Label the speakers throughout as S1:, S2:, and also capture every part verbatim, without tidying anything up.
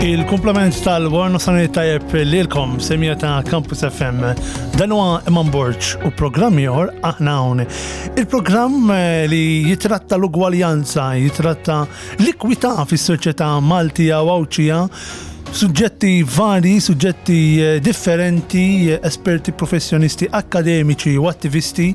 S1: Il-kumplament tal-wara nofsinhar tajjeb lilkom, semmiegħa ta' Campus F M. Dan huwa Eman Borg u programm ieħor, Aħna Hawn. Il-programm eh, li jitratta l-ugwaljanza, jitratta l-ikwità fis-soċjetà Maltija u Għawdxija, suġġetti vari, suġġetti eh, differenti, eh, esperti, professjonisti, akademiċi u attivisti,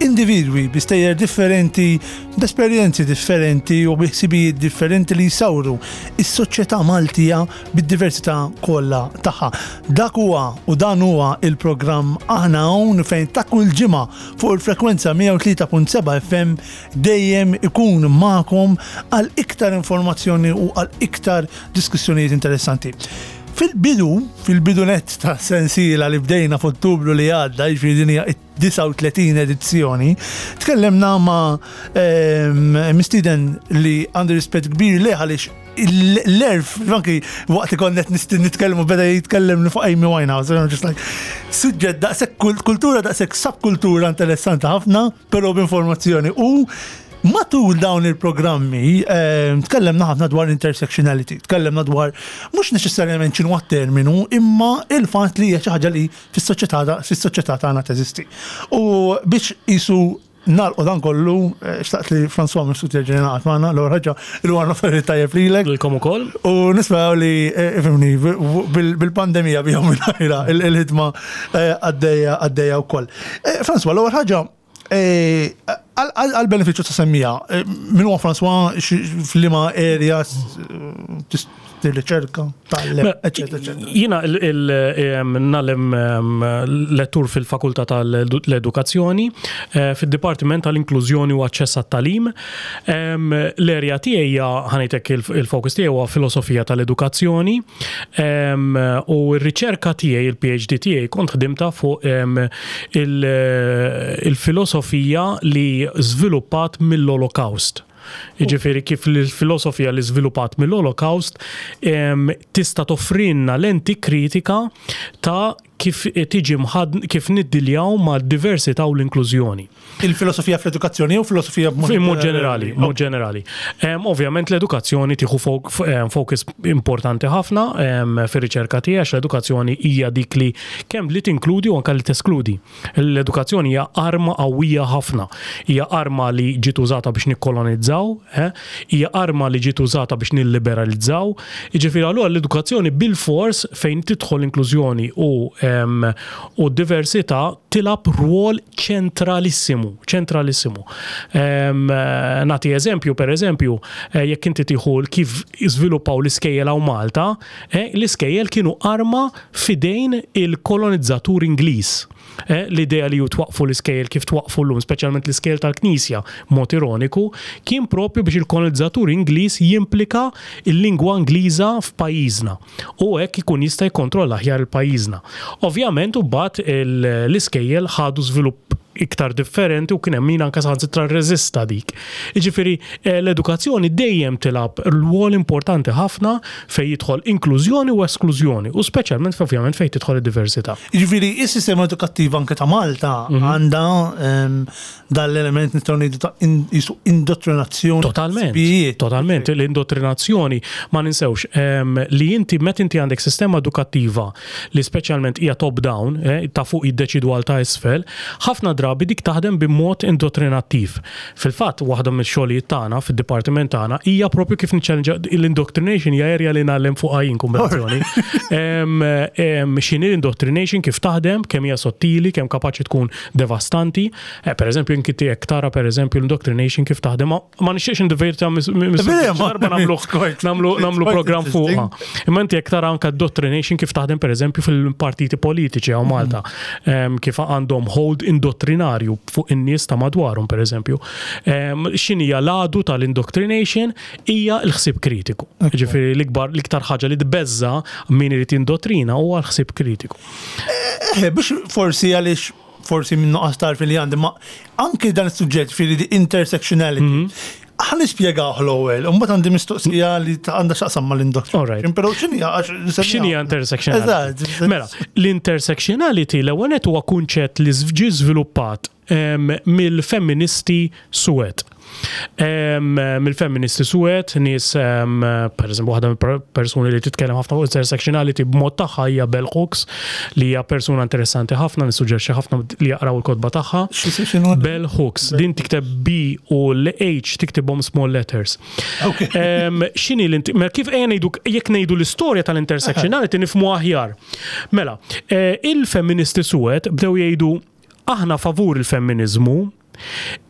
S1: individwi bi stejjer differenti, b'esperjenzi differenti u bi ħsibijiet differenti li jsawru is-soċjetà Maltija bid-diversità kollha tagħha. Dak huwa u dan huwa il-programm Aħna Hawn, fejn ta' kull ġimgħa fuq il-frekwenza mija u tlieta punt seba' F M dejjem ikun magħkom għal iktar informazzjoni u għal iktar diskussjonijiet interessanti. Fil-bidu, fil-bidu net ta' sensiela li bdejna f'Ottubru li għadda, jiġifieri din hija disgħa u tletin edizzjoni, tkellemna ma' ehm, mistieden li għandu rispett kbir li għaliex l-għerf, anki waqt li konna nitkellmu beda jitkellem fuq Amy Winehouse, and I'm just like, suġġett daqshekk kultura, daqshekk subkultura interessanti ħafna, però b'informazzjoni. U matul dawn il-programmi eh, tkellemna ħafna dwar intersectionality, tkellemna dwar mhux neċessarjament x'inhu terminu, imma il-fatt li hija xi ħaġa li fis-soċjetà fis-soċjetà tagħna teżisti. U biex jisu nagħlqu dan kollu, eh, xtaqt li François Mifsud jerġa' jingħaqad magħna. L-ewwel ħaġa, il-wara nofsinhar tajjeb lilek.
S2: Lilkom ukoll.
S1: U nisperaw li, eh, ifhimni, bil- bil-pandemija bihom mingħajra il-ħidma eh, għaddejja għaddejja wkoll. Eh, François, l-ewwel ħaġa, eh, għal-benefiċċju ta' semmiegħa, eh, min huwa François, f'liema area tirriċerka, tgħallem,
S2: Mela,
S1: eccetera, eccetera?
S2: Jiena ngħallem lettur fil-Fakultà tal-Edukazzjoni, eh, fil-Dipartiment tal-Inklużjoni u Aċċess għat-Tagħlim. Em, L-area tiegħi hija, ħa ngħidlek, il-fokus tiegħi huwa filosofija tal-edukazzjoni em, u r-riċerka tiegħi, il-P H D tiegħi, kont ħdimta fuq em, il- il-filosofija li żviluppat mill-Holocaust. Jiġifieri kif l-filosofija li żviluppat mill-Holocaust em, tista' toffrinna lenti kritika ta' kif tiġi mħad kif niddiljaw ma' diversità u l-inklużjoni.
S1: Il-filosofija fl-edukazzjoni u filosofija
S2: b'mod Mod ġenerali, mod ġenerali. Em, Ovvjament l-edukazzjoni tieħu fok- em, focus importanti ħafna em, fir-riċerka tiegħi, għax l-edukazzjoni hija dik li kemm li tinkludi u anke li teskludi. L-edukazzjoni hija arma qawwija ħafna. Hija arma li ġiet użata biex nikkolonizzaw, eh? Hija arma li ġiet użata biex nilliberalizzaw. Jiġifieri allura l-edukazzjoni bil-fors fejn tidħol inklużjoni u em, u diversità tilgħab rwol ċentralissimu, ċentralissimu. Em, Nagħti eżempju, per eżempju, eh, jekk inti tieħu kif żviluppaw l-iskejjel hawn Malta, eh, l-iskejjel kienu arma f'idejn il-kolonizzatur Ingliż. Eh, L-idea li twaqfu l-iskejjel kif twaqfu llum, speċjalment l-iskejjel tal-Knisja, mod ironiku, kien propju biex il-kolonizzatur Ingliż jimplika il-lingwa Ingliża f'pajjiżna. U hekk ikun jista' jikkontrolla aħjar il-pajjiżna. Ovvjament, u mbagħad l-iskejjel ħadu żvilupp iktar differenti u kien hemm min anke saħansitra rreżista dik. Jiġifieri eh, l-edukazzjoni dejjem tilgħab rwol importanti ħafna fejn jidħol inklużjoni u esklużjoni u speċjalment ovvjament fejn tidħol id-diversità.
S1: Jiġifieri, is-sistema edukattiva anke ta' Malta
S2: Mhm.
S1: għandha em, dal-element, nistgħu ngħidu, ta' in- jisu indottrinazzjoni.
S2: Totalment.
S1: Ħsibijiet.
S2: Totalment. L-indottrinazzjoni, ma ninsewx em, li inti meta inti għandek sistema edukattiva li speċjalment hija top down, eh, ta' fuq jiddeċidu għal ta' isfel, ħafna drabi dik taħdem b'mod indottrinattiv. Fil-fatt, waħda mill-xogħlijiet tagħna fid-dipartiment tagħna hija propju kif niċċellenġa l-indoctrination, hija area li ngħallem fuq għajin kombinazzjoni. Em, em, X'inhi l-indoctrination, kif taħdem, kemm hija sottili, kemm kapaċi tkun devastanti. Eh, Per eżempju, inti jekk tara, per eżempju, l-indoctrination kif taħdem, ma- ma nixtieqx indiverta
S1: Bene, ma-
S2: darba nagħmlu
S1: quite-
S2: nagħmlu nagħmlu
S1: quite
S2: program fuqha.
S1: interesting.
S2: Imma inti jekk tara anke indoctrination kif taħdem, per eżempju, fil-partiti politiċi hawn Malta, em, kif għandhom hold indottrinarju fuq in-nies ta' madwarhom, per eżempju. Em, X'inhija l-għadu tal-indoctrination? Hija l-ħsieb kritiku. Ġifieri l-ikbar l-iktar ħaġa li tbeżza min irid indottrina huwa l-ħsieb kritiku.
S1: Eh, biex forsi għaliex forsi minn nuqqas tarfi li għandi, ma anke dan is-suġġett fil di intersectionality. Ħa nispjegaw l-ewwel, u mbagħad għandi mistoqsija li ta' għandha x'taqsam mal-indoctrination.
S2: Alright.
S1: Però x'inhi għax
S2: X'inhi intersectionality?
S1: Eżatt.
S2: Mela, l-intersectionality l-ewwel nett huwa kunċett li ġie żviluppat em, mill-femministi suwed. Em, Mill-feministi suwed, nies, em, per eżempju, waħda mill-persuni li titkellem ħafna fuq intersectionality b'mod tagħha hija Bell Hooks, li hija persuna interessanti ħafna, nissuġġerixxi ħafna li jaqraw il-kotba tagħha.
S1: X'inhu?
S2: Bell Hooks, din tikteb B u l-H tiktibhom small letters.
S1: Ok.
S2: Em, X'inhi l mela kif ejja ngħidu, jekk ngħidu l-istorja tal-intersectionality nifhmu aħjar. Mela, eh, il-feministi suwed bdew jgħidu: aħna favur il-femminizmu,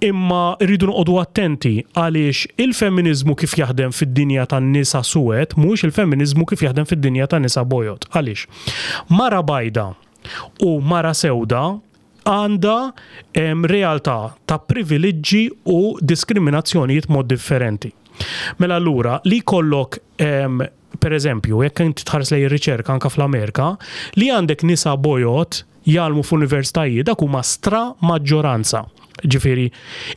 S2: imma rridu noqogħdu attenti għaliex il-femminizmu kif jaħdem fid-dinja tan-nisa suwed mhuwiex il-femminizmu kif jaħdem fid-dinja tan-nisa bojod. Għaliex? Mara bajda u mara sewda għandha em, realtà ta' privileġġi u diskriminazzjonijiet mod differenti. Mela allura li jkollok em, per eżempju, jekk inti tħares lejn ir-riċerka anka fl-Amerika, li għandek nisa bojod jgħallmu f'universitajiet, dak huma stra maġġoranza. Ġifieri,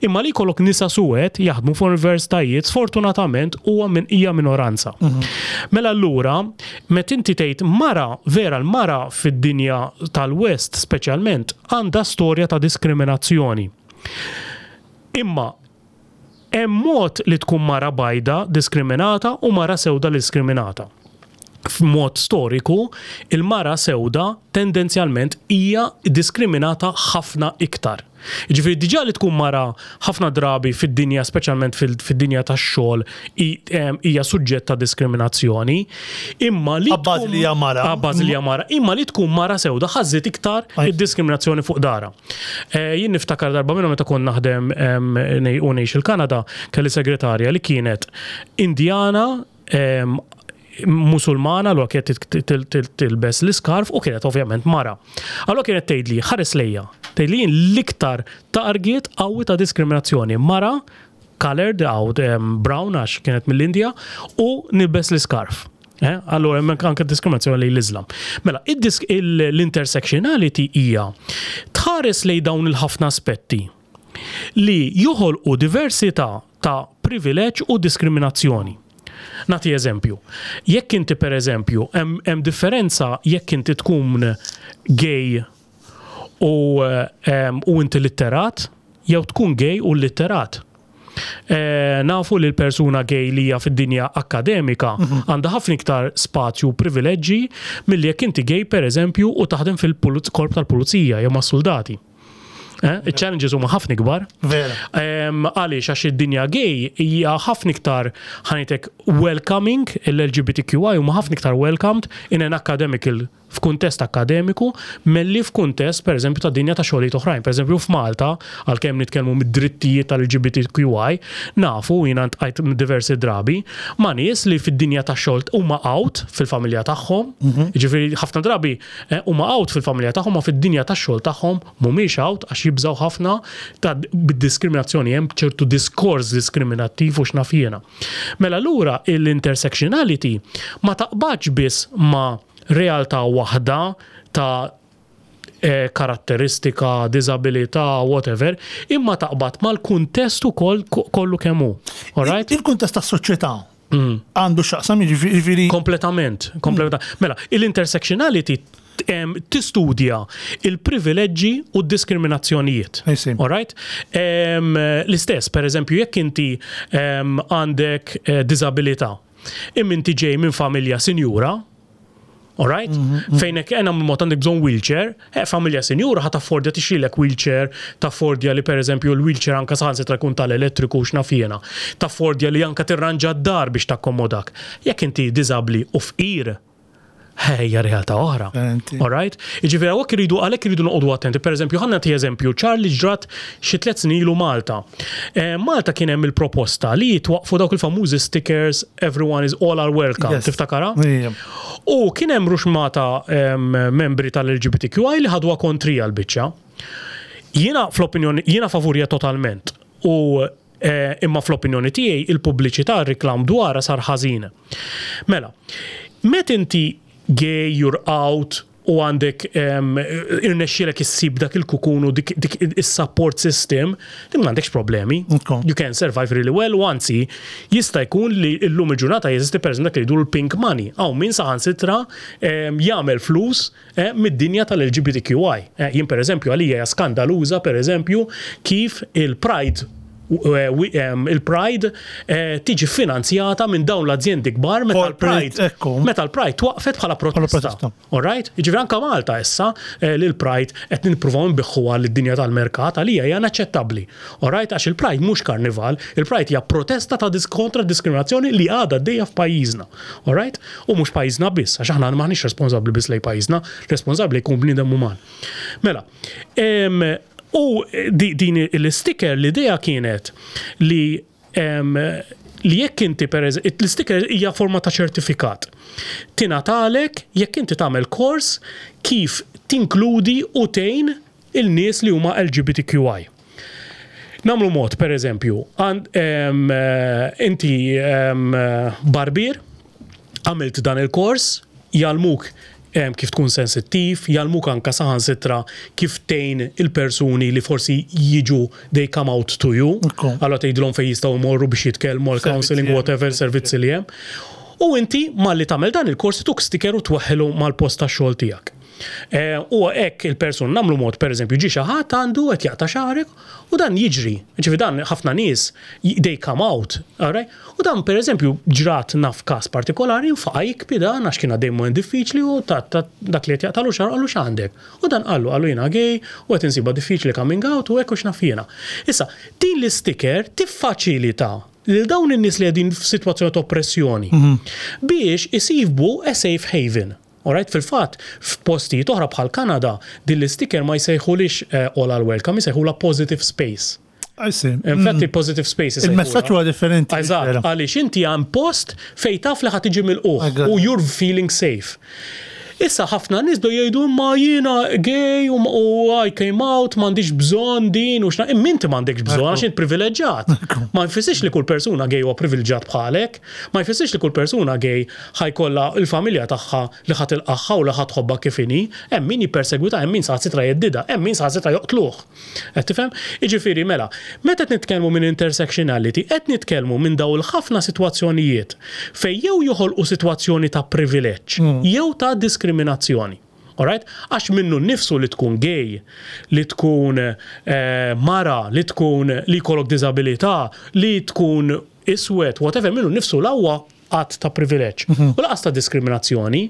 S2: imma li jkollok nisa suwed jaħdmu f'universitajiet sfortunatament huwa min hija minoranza. Mela allura, meta inti tgħid mara, vera l-mara fid-dinja tal-West speċjalment għandha storja ta' diskriminazzjoni. Imma hemm mod li tkun mara bajda diskriminata u mara sewda diskriminata. F'mod storiku, il-mara sewda tendenzjalment hija diskriminata ħafna iktar. Ġifieri diġà li tkun mara ħafna drabi fid-dinja, speċjalment fil- fid-dinja tax-xogħol, i- em, hija suġġett ta' diskriminazzjoni, imma li
S1: Abbażi
S2: tkun-
S1: li hija mara.
S2: Abbażi li hija mara, imma li tkun mara sewda ħa żżid iktar
S1: Aj.
S2: id-diskriminazzjoni fuq dara. Eh, Jien niftakar darba minnhom meta kont naħdem em, nej- u ngħix il-Kanada, kelli segretarja li kienet Indjana, em, Musulmana, l kienet til- til- tilbes l-iskarf u kienet ovvjament mara. Allora kienet tgħidli, ħares lejja, tgħidli jien l-iktar target qawwi ta' diskriminazzjoni. Mara, colored, għaw em, brown għax kienet mill-Indja, u nilbes l-iskarf. Eh? Allora, hemm anke diskriminazzjoni lejn l-Islam. Mela, id-disk- il- l-intersectionality hija tħares lejn dawn il-ħafna aspetti li joħolqu diversità ta' privileġġ u diskriminazzjoni. Nagħti eżempju. Jekk inti, per eżempju, hemm hemm differenza jekk inti tkun gay u, em, u inti litterat, jew tkun gay u litterat. Eh, nafu li l-persuna gay li hija fid-dinja akademika għandha ħafna iktar spazju u privileġġi milli jekk inti gay, per eżempju, u taħdem fil-korp tal-pulizija jew mas-soldati. Eh, Il-challenges huma ħafna ikbar.
S1: Vera.
S2: Em, Għaliex? Għax id-dinja gay hija ħafna iktar, ħa ngħidlek, welcoming, l-L G B T Q I huma ħafna iktar welcomed in an academical f'kuntest akademiku milli f'kuntest, per eżempju, ta' dinja ta' xogħlijiet oħrajn. Per eżempju, f'Malta, għalkemm nitkellmu mid-drittijiet tal-L G B T Q I, nafu, jiena ltqajt diversi drabi ma' nies li fid-dinja ta' xogħol huma out fil-familja tagħhom, jiġifieri ħafna drabi eh, huma out fil-familja tagħhom, ma fid-dinja ta' xogħol tagħhom mhumiex out għax jibżaw ħafna ta' bid-diskriminazzjoni, hemm ċertu diskors diskriminattiv u x'naf jiena. Mela allura l-intersectionality ma taqbadx biss ma' realtà waħda ta' eh, karatteristika, disabilità, whatever, imma taqbad mal-kuntest ukoll kollu kemm hu. Alright?
S1: Il-kuntest tas-soċjetà għandu x'jaqsam, jiġifieri.
S2: Kompletament, kompletament. Mela, l-intersectionality em, tistudja il-privileġġi u d-diskriminazzjonijiet.
S1: I see.
S2: Alright? Em, L-istess, per eżempju, jekk inti em, għandek eh, disabilità, imma inti ġej minn familja sinjura, alright? Fejn hekk għena mod għandek bżonn wheelchair, eh, familja sinjura ħa taffordja tixtrilek wheelchair, taffordja li, per eżempju, l-wheelchair anka saħansitra jkun tal-elettriku, x'naf jiena. Taffordja li anka tirranġa d-dar biex takkomodak. Jekk inti diżabli u fqir, hija realtà oħra.
S1: Differenti.
S2: Alright? Jiġifieri hawnhekk iridu għalhekk iridu noqogħdu attenti. Per eżempju, ħa nagħti eżempju ċar li ġrat xi tliet snin ilu Malta. Eh, Malta kien hemm il-proposta li jitwaqfu dawk il-famużi stickers "Everyone is all are welcome".
S1: Yes.
S2: Tiftakara?
S1: Ija.
S2: U kien hemm ruxmata em, membri tal-L G B T Q I li ħadwa kontrija l-biċċa. Jiena fl-opinjoni, jiena favurija totalment. U eh, imma fl-opinjoni tiegħi il-pubbliċità, ir-reklam dwarha sar ħażin. Mela, met inti gay, you're out, u għandek um, irnexxielek issib dak il-kukun u dik, dik is-support system, din m'għandekx problemi.
S1: Okay.
S2: You can survive really well, u anzi, jista' jkun li llum il-ġurnata jeżisti, per eżempju, dak li jgħidu l-pink money. Hawn min saħansitra um, jagħmel flus eh, mid-dinja tal-L G B T Q I. Eh, jien per eżempju għalija hija skandaluża, per eżempju, kif il-Pride eh, wi- em, il-Pride eh, tiġi finanzjata minn dawn l-azjendi kbar meta
S1: Corporate,
S2: l-Pride
S1: ekku.
S2: meta l-Pride twaqfet bħala protesta.
S1: protesta.
S2: All right? Jiġifieri anka Malta issa eh, li l-Pride qed nippruvaw nbiħħuha lid-dinja tal-merkat għalija hija inaċċettabbli. All right? Għax il-Pride mhux karnival, il-Pride hija protesta ta' dis kontra diskriminazzjoni li għadha għaddejja f'pajjiżna. All right? U mhux pajjiżna biss, għax aħna maħniex responsabbli biss lejn pajjiżna, responsabbli jkun bniedem uman. Mela, em, u di, din l-sticker l-idea kienet li em, li jekk inti per l-sticker hija forma ta' ċertifikat. Tingħatalek jekk inti tagħmel kors kif tinkludi u tgħin il-nies li huma L G B T Q I. Nagħmlu mod, per eżempju, għand, em, eh, inti em, eh, barbier, għamilt dan il-kors, jgħallmuk em, kif tkun sensittiv, jgħallmuk anka saħansitra kif tgħin il-persuni li forsi jiġu, they come out to you.
S1: Ekku.
S2: Allora tgħidilhom fejn jistgħu jmorru biex jitkellmu għal counseling,
S1: Servizzi
S2: whatever, servizzi li hemm. U inti malli tagħmel dan il-kors tuk sticker u twaħħelu mal-post tax-xogħol tiegħek. Eh, U hekk il-person nagħmlu mod, per eżempju, ġi xi ħadd għandu qed jaqta' xagħrek u dan jiġri. Ġifi dan ħafna nies they come out, alright? U dan, per eżempju, ġrat naf każ partikolari nfaqa' jibki dan għax kien għaddej moment diffiċli u ta' ta' dak li qed jaqtalu xagħru qallu, "X'għandek?" U dan qallu qallu "Jiena gay u qed insibha diffiċli coming out u hekk u x'naf jiena." Issa, din l-sticker tiffaċilita lil dawn in-nies li qegħdin f'sitwazzjoni ta' oppressjoni biex isibu a safe haven. Alright, fil-fatt, f'postijiet oħra bħal Kanada, din l-sticker ma jsejħulix eh, all are welcome, jsejħula positive space.
S1: I see.
S2: Infatti, positive space
S1: Mm. Il-messaġġ huwa differenti.
S2: Eżatt, għaliex inti għand post fej taf li ħa tiġi milqugħ
S1: Eżatt.
S2: u you're feeling safe. Issa ħafna nies do jgħidu, "Ma jiena gay u, u I came out, m'għandix bżonn din u x'na." Imma inti m'għandekx bżonn għax int privileġġjat. Ma jfissirx li kull persuna gay huwa privileġġjat bħalek, ma jfissirx li kull persuna gay ħa jkollha il-familja tagħha li ħa tilqagħha u li ħa tħobbha kif inhi, hemm min jippersegwita, hemm min saħansitra jheddidha, hemm min saħansitra joqtluh. Qed tifhem? Jiġifieri mela, meta qed nitkellmu minn intersectionality, qed nitkellmu minn daw il-ħafna sitwazzjonijiet fejn jew joħolqu sitwazzjoni ta' privileġġ jew ta' diskriminazzjoni. Alright? Għax minnu nnifsu li tkun gay, li tkun eh, mara, li tkun li jkollok disabilità, li tkun iswed, whatever, minnu nnifsu l-ewwel qatt ta' privileġġ. U lanqas ta' diskriminazzjoni,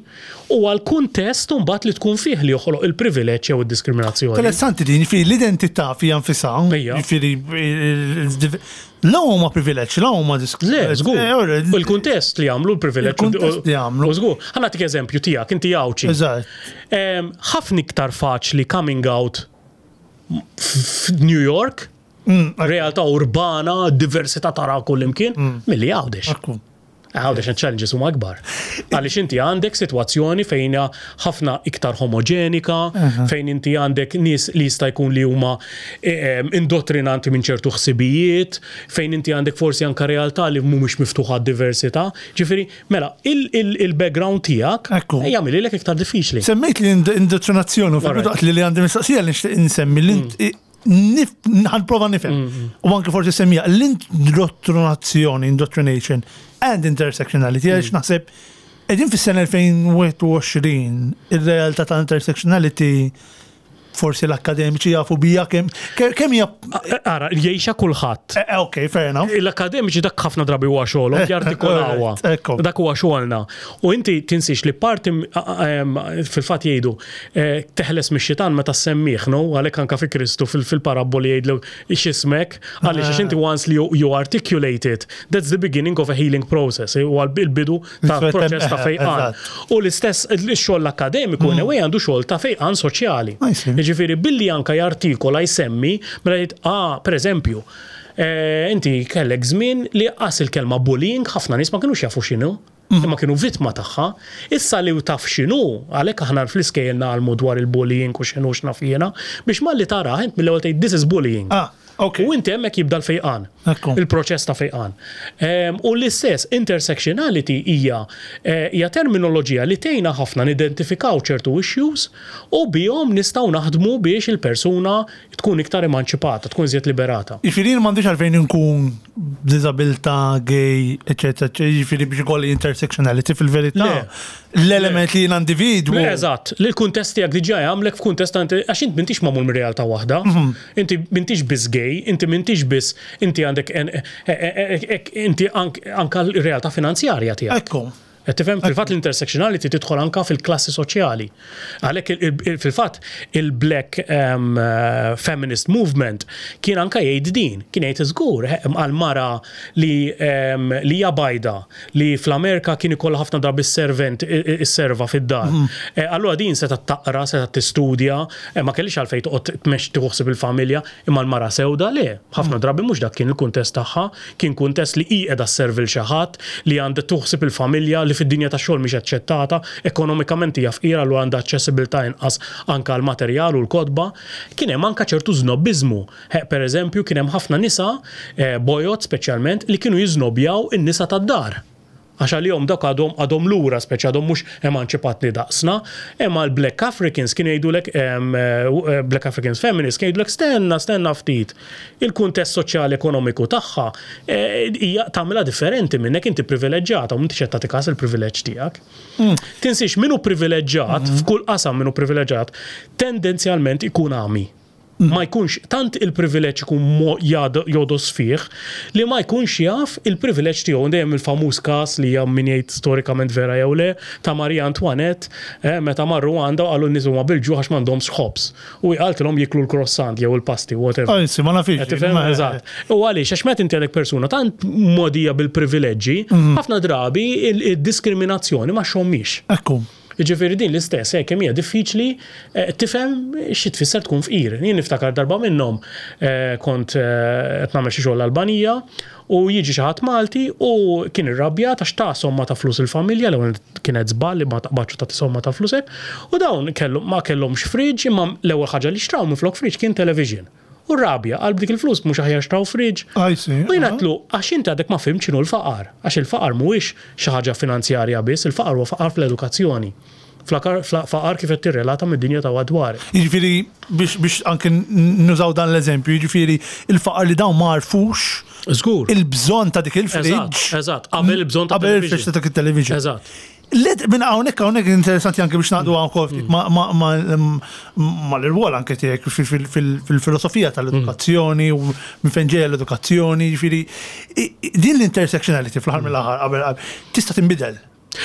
S2: u għal kuntest mbagħad li tkun fih li joħloq il-privileġġ jew id-diskriminazzjoni.
S1: Interessanti din, fi l-identità fija nfisha,
S2: Ejja.
S1: jiġifieri la huma privileġġ, la huma disk.
S2: Le, żgur.
S1: Eh, ora,
S2: U l-kuntest li jagħmlu l-privileġġ.
S1: Il-kuntest li jagħmlu.
S2: U żgur. Ħa nagħtik eżempju tiegħek, inti Għawdxi.
S1: Eżatt.
S2: Em, Ħafna iktar faċli coming out f'New York,
S1: Mm,
S2: realtà urbana, diversità tara kullimkien, milli Għawdex.
S1: Ekku.
S2: Għawdex challenges huma akbar. Għaliex inti għandek sitwazzjoni fejn hija ħafna iktar homogenika, fejn inti għandek nies li jista' jkun li huma eh, indottrinanti minn ċertu ħsibijiet, fejn inti għandek forsi anka realtà li mhumiex miftuħa għad-diversità. Ġifieri, mela, il-background tiegħek
S1: Ekku.
S2: jagħmililek iktar diffiċli.
S1: Semmejt li ind- indottrinazzjoni u
S2: Alright.
S1: fil-waqt li li għandi mistoqsija li nixtieq insemmi li ħa nprova nifhem. U anke forsi semmija l-indottrinazzjoni, indoctrination and intersectionality, għaliex naħseb qegħdin fis-sena elfejn u wieħed u għoxrin, ir-realtà ta' intersectionality forsi l-akademiċi jafu bija kemm kemm hija.
S2: Ara, jgħixha kulħadd.
S1: Eh, Ok, fair enough.
S2: L-akademiċi dak ħafna drabi huwa xogħolhom jartikolawha.
S1: Alright, ekku.
S2: Dak huwa xogħolna. U inti tinsix li parti m- em, fil-fatt jgħidu eh, teħles mix-xitan meta semmih, no? Għalhekk anka fi Kristu fil- fil-parabboli jgħidlu, "X'ismek?" Għaliex għax inti once li you, you articulate it, that's the beginning of a healing process. Huwa l-bidu ta'
S1: Fettem-
S2: proċess ta' fejqan.
S1: Eżatt.
S2: U l-istess il-xogħol akademiku in a way għandu xogħol ta' fejqan soċjali.
S1: I see.
S2: Ġifieri billi anka jartikola, jsemmi, mela jgħid, ah, per eżempju, eh, inti kellek żmien li qas il-kelma bullying ħafna nies ma kinux jafu x'inhu. Imma kienu vittma tagħha. Issa li taf x'inhu, għalhekk aħna fl-iskejjel ngħallmu dwar il-bullying u x'inhu x'naf jiena, biex malli tara int mill-ewwel tgħid, "This is bullying."
S1: Ah, ok.
S2: U inti hemmhekk jibda l-fejqan.
S1: Ekku.
S2: Il-proċess ta' fejqan. Em, U l-istess intersectionality hija eh, hija terminoloġija li tgħinna ħafna nidentifikaw ċertu issues u bihom nistgħu naħdmu biex il-persuna tkun iktar emanċipata, tkun iżjed liberata.
S1: Jiġifieri m'għandix għalfejn nkun b'diżabilità, gay, eccetera, jiġifieri biex ikolli intersectionality fil-verità.
S2: Le.
S1: L-element li jien individwu.
S2: Le, eżatt, li l-kuntest tiegħek diġà jagħmlek f'kuntest ta' inti- għax int m'intix magħmul minn realtà waħda. Inti m'intix biss gay, day, inti m'intix biss, inti għandek en- e- e- e- inti ank- anka l-realtà finanzjarja tiegħek.
S1: Ekku.
S2: Qed tifhem, fil-fatt l-intersectionality tidħol anka fil-klassi soċjali. Għalhekk il- il- fil-fatt il-Black um, uh, Feminist Movement kien anka jgħid din, kien jgħid żgur eh, għal mara li um, li hija bajda li fl-Amerika kien ikollha ħafna drabi servant is-serva fid-dar. Eh, Allura din seta taqra, seta tistudja, eh, ma kellix għalfejn toqgħod tmexxi tieħu il-familja, imma l-mara sewda le. Ħafna drabi mhux dak kien il-kuntest tagħha, kien kuntest li hi qiegħda sservi l xi ħadd, li għandha tuħsib il-familja, li fid-dinja tax-xogħol mhix aċċettata, ekonomikament hija fqira lu għandha aċċessibilità inqas anka l-materjal u l-kotba. Kien hemm anka ċertu żnobbiżmu. Per eżempju, kien hemm ħafna nisa, eh, bojod speċjalment, li kienu jiżnobjaw in-nisa tad-dar. Għax għalihom dak għadhom għadhom lura, speċi għadhom mhux emanċipatni daqsna, imma l-Black Africans kienu jgħidulek, em, eh, Black Africans Feminists kienu jgħidulek stenna, stenna ftit. Il-kuntest soċjali ekonomiku tagħha eh, hija tagħmilha differenti minnek, inti privileġġjata u m'intix qed tagħti każ il-privileġġ tiegħek. Tinsiex min hu privileġġjat, f'kull qasam min hu privileġġjat, tendenzjalment ikun għami. Ma jkunx tant il-privileġġ ikun mo- jad- jodos fih li ma jkunx jaf il-privileġġ tiegħu. Dejjem il-famuż każ li hija min jgħid storikament vera jew le ta' Maria Antoinette, eh, meta marru għandha u qalu n-nies huma bil-ġuħ għax m'għandhomx ħobż. U qaltilhom jiklu l-croissant jew il-pasti, whatever.
S1: Anzi, ma nafix.
S2: Qed tifhem? Eżatt. U għaliex, għax meta inti għandek persuna tant mogħdija bil-privileġġi, ħafna drabi il- il-diskriminazzjoni ma xommix.
S1: Ekku.
S2: Ġifieri din l-istess, eh, kemm hija diffiċli eh, tifhem xi tfisser tkun fqir. Jien niftakar darba minnhom eh, kont eh, qed nagħmel xi xogħol l-Albanija u jiġi xi ħadd Malti u kien irrabjat għax ta' somma ta' flus il-familja, l kienet żball li ma taqbadx ta' somma ta' flus hekk, u dawn kellu ma kellhomx fridge, imma l-ewwel ħaġa li xtraw minflok fridge kien television. U rabja, għal b'dik il-flus mhux aħjar xtraw fridge.
S1: I see.
S2: U jien għedtlu, għax inti għadek ma fhimt x'inhu l-faqar. Għax il-faqar mhuwiex xi ħaġa finanzjarja biss, il-faqar huwa faqar fl-edukazzjoni. Flakar- fla- Faqar kif qed tirrelata mid-dinja ta' madwar.
S1: Jiġifieri biex biex anke nużaw dan l-eżempju, jiġifieri il-faqar li dawn ma għarfux
S2: Żgur.
S1: il-bżonn ta' dik il-fridge.
S2: Eżatt, eżatt. Qabel il-bżonn ta'
S1: Qabel il-fridge
S2: television.
S1: ta' dik il-television.
S2: Eżatt.
S1: Led, minn hawnhekk hawnhekk interessanti anke biex naqdu għan ftit ma ma ma ma l-irwol anke tiegħek fil- fil- fil-filosofija tal-edukazzjoni u minn fejn ġejja l-edukazzjoni, jiġifieri i- i- din l-intersectionality fl-aħħar mill-aħħar qabel qabel tista' tinbidel.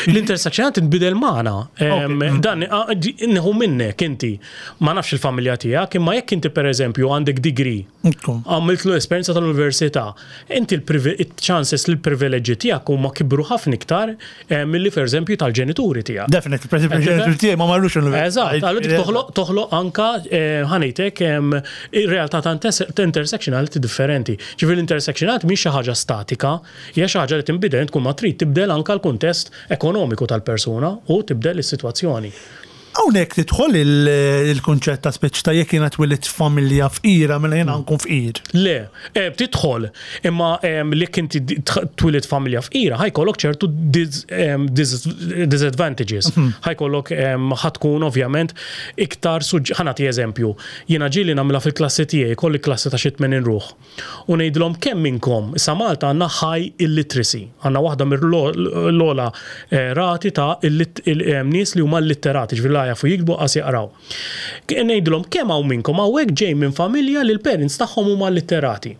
S2: L-intersectionality tinbidel magħna. Em,
S1: Ok.
S2: Dan a- ġi- nieħu minnek inti. Ma nafx il-familja tiegħek, imma jekk inti pereżempju għandek degree,
S1: Ekku.
S2: għamilt l-esperienza tal-università, inti il-chances li l-privileġġi tiegħek huma kibru ħafna iktar eh, milli per eżempju tal-ġenituri tiegħek.
S1: Definitely, per esempio, il-ġenituri tiegħi ma marrux l-università.
S2: Eżatt, allura dik toħloq toħloq anka eh, ħa ngħidlek em, ir-realtà ta' inter- ta' intersectionality differenti. Ġifieri l-intersectionality mhix xi ħaġa statika, hija xi ħaġa li tinbidel tkun ma trid tibdel anka l-kuntest ekonomiku tal-persuna u tibdel is-sitwazzjoni.
S1: Hawnhekk tidħol il- il-kunċett ta' speċi ta' jekk jiena twilit familja fqira mela jiena nkun fqir.
S2: Le, eh, tidħol, imma em, li inti di- tħ- twilit familja fqira, ħa jkollok ċertu dis, em, dis, disadvantages. Ħa jkollok em, ħa tkun ovvjament iktar suġ. Ħa nagħti eżempju, jiena ġieli nagħmilha fil-klassi tiegħi, kolli klassi ta' xi tmenin ruħ. U ngħidilhom kemm minnkom, issa Malta għandna high illiteracy, għandna waħda mill-ogħla eh, rati ta' illit- il- em, nies li huma illitterati, ġifieri la jafu jiktbu qas jaqraw. Ngħidilhom kemm hawn minnkom hawnhekk ġej minn familja li l-parents tagħhom huma illitterati.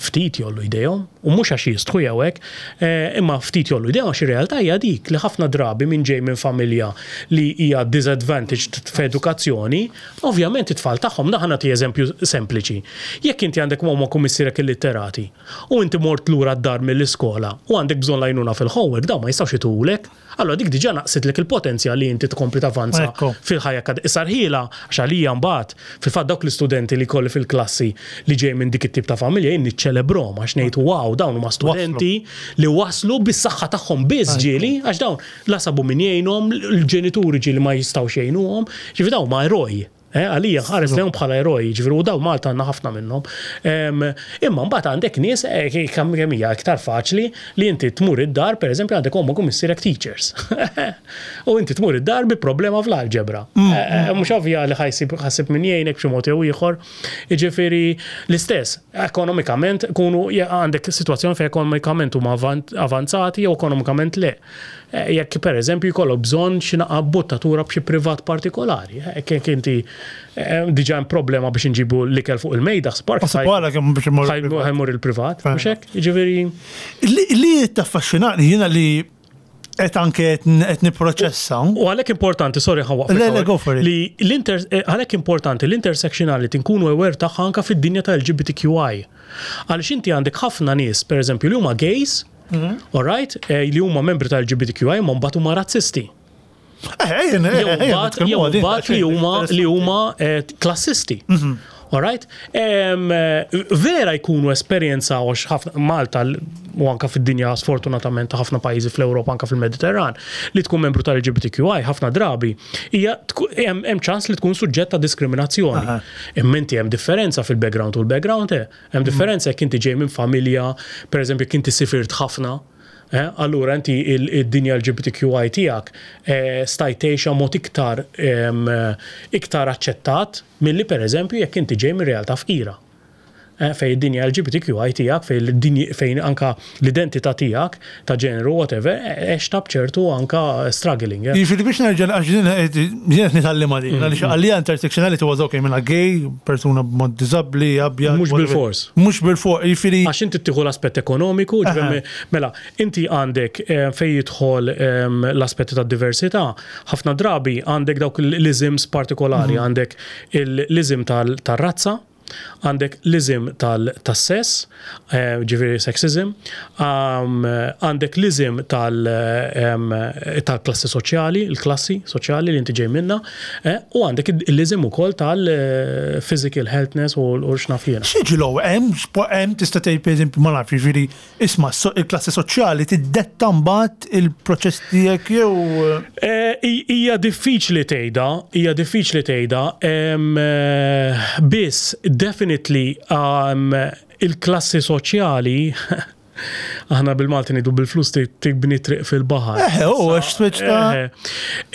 S2: Ftit jgħollu jdejhom, u mhux għax jistħu jew hekk, eh, imma ftit jgħollu jdejhom għax ir-realtà hija dik li ħafna drabi minn ġej minn familja li hija disadvantaged f'edukazzjoni, ovvjament it-tfal tagħhom, ħa nagħti eżempju sempliċi. Jekk inti għandek ommok u missierek illitterati u inti mort lura d-dar mill-iskola u għandek bżonn l-għajnuna fil-homework, dawn ma jistgħux jtulek, allora dik diġà naqsitlek il-potenzjal li inti tkompli tavanza
S1: Ekku.
S2: fil-ħajja kad Issa rħila, għax għalija mbagħad, fil-fatt dawk l-istudenti li kolli fil-klassi li ġej minn dik it-tip ta' familja jien niċċelebrahom għax ngħid wow, dawn huma studenti li waslu bis-saħħa tagħhom biss ġieli, għax dawn la sabu min jgħinhom, l-ġenituri ġieli ma jistgħux jgħinuhom, ġifieri dawn ma eroj. Eh, għalija ħares lejhom bħala eroj, ġifieri u daw Malta għandna ħafna minnhom. Em, Imma mbagħad għandek nies eh, kemm kemm hija iktar faċli li inti tmur id-dar, pereżempju għandek ommok u missierek teachers. U inti tmur id-dar bi problema fl-alġebra. Eh, eh, Mhux ovvja li ħa ssib ħa ssib min jgħinek b'xi mod jew ieħor. Jiġifieri l-istess, ekonomikament kunu għandek sitwazzjoni fejn ekonomikament huma avant- avanzati jew ekonomikament le. Eh, Jekk per eżempju jkollok bżonn xi naqra buttatura b'xi privat partikolari, eh, jekk inti Eh, Diġà hemm problema biex nġibu l-ikel fuq il-mejda, spark
S1: Wara kemm biex imur.
S2: ħa jmur il-privat, mhux hekk? Jiġifieri
S1: Li li taffaxxinani jiena li qed anke qed nipproċessa.
S2: U għalhekk importanti, sorry, ħa nwaqfek.
S1: Le, le, go for it.
S2: Li l-inter, eh, għalhekk importanti l-intersectionality nkunu aware tagħha anka fid-dinja ta' L G B T Q I. Għaliex inti għandek ħafna nies, per eżempju, li huma gays,
S1: Mhm.
S2: all right, eh, li huma membri ta' L G B T Q I, ma mbagħad huma razzisti.
S1: Eh, eh,
S2: Jew
S1: eh,
S2: mbagħad jew mbagħad li huma li huma eh, klassisti.
S1: Mhm.
S2: All right? Em, eh, vera jkunu esperjenza għax ħafna Malta l- u anka fid-dinja, sfortunatament, ta' ħafna pajjiżi fl-Ewropa, anka fil-Mediterran, li tkun membru tal-L G B T Q I ħafna drabi hija tku- hemm hemm ċans li tkun suġġett ta' diskriminazzjoni.
S1: Aha.
S2: Imma inti hemm differenza fil-background u l-background eh. Hemm differenza jekk inti ġej minn familja, per eżempju, jekk inti sifirt ħafna, Eh, allura inti il- id-dinja L G B T Q I tiegħek eh, stajt tgħixha mod iktar em, eh, iktar aċċettat milli, per eżempju, jekk inti ġej minn realtà fqira. Eh, Fej id-dinja L G B T Q I tiegħek, fej l-dinja, fejn anka l-identità tiegħek ta' ġeneru, whatever, għextha b'ċertu anka struggling. Eh.
S1: Jiġifieri biex nerġa' għax din qed jien qed nitgħallimha din, għaliex għalija intersectionality was okay, minna gay, persuna b'mod diżabbli, abjad.
S2: Mhux
S1: whatever.
S2: bil-fors.
S1: Mhux bil-fors, jiġifieri.
S2: Għax inti tieħu l-aspett ekonomiku, ġifieri, mela, inti għandek eh, fej jidħol em, l-aspetti ta' diversità, ħafna drabi għandek dawk l-isms partikolari, għandek l-ism tal-razza, għandek l-ism tal-sess, eh, ġifieri sexism, um, għandek l-ism tal- em, tal-klassi soċjali, il-klassi soċjali li inti ġej minna, eh, u għandek l-ism ukoll tal-physical healthness u u x'naf jiena.
S1: X'jiġi l hemm hemm tista' tgħid, pereżempju, ma nafx, jiġifieri isma' so- il-klassi soċjali tiddetta mbagħad il-proċess tiegħek jew
S2: Eh, i- Hija diffiċli tgħidha, hija diffiċli tgħidha, em, eh, biss definitely um, il-klassi soċjali, aħna bil-Malti ngħidu bil-flus ti- tibni triq fil-baħar.
S1: Eh, u għax switch ta'
S2: Eh,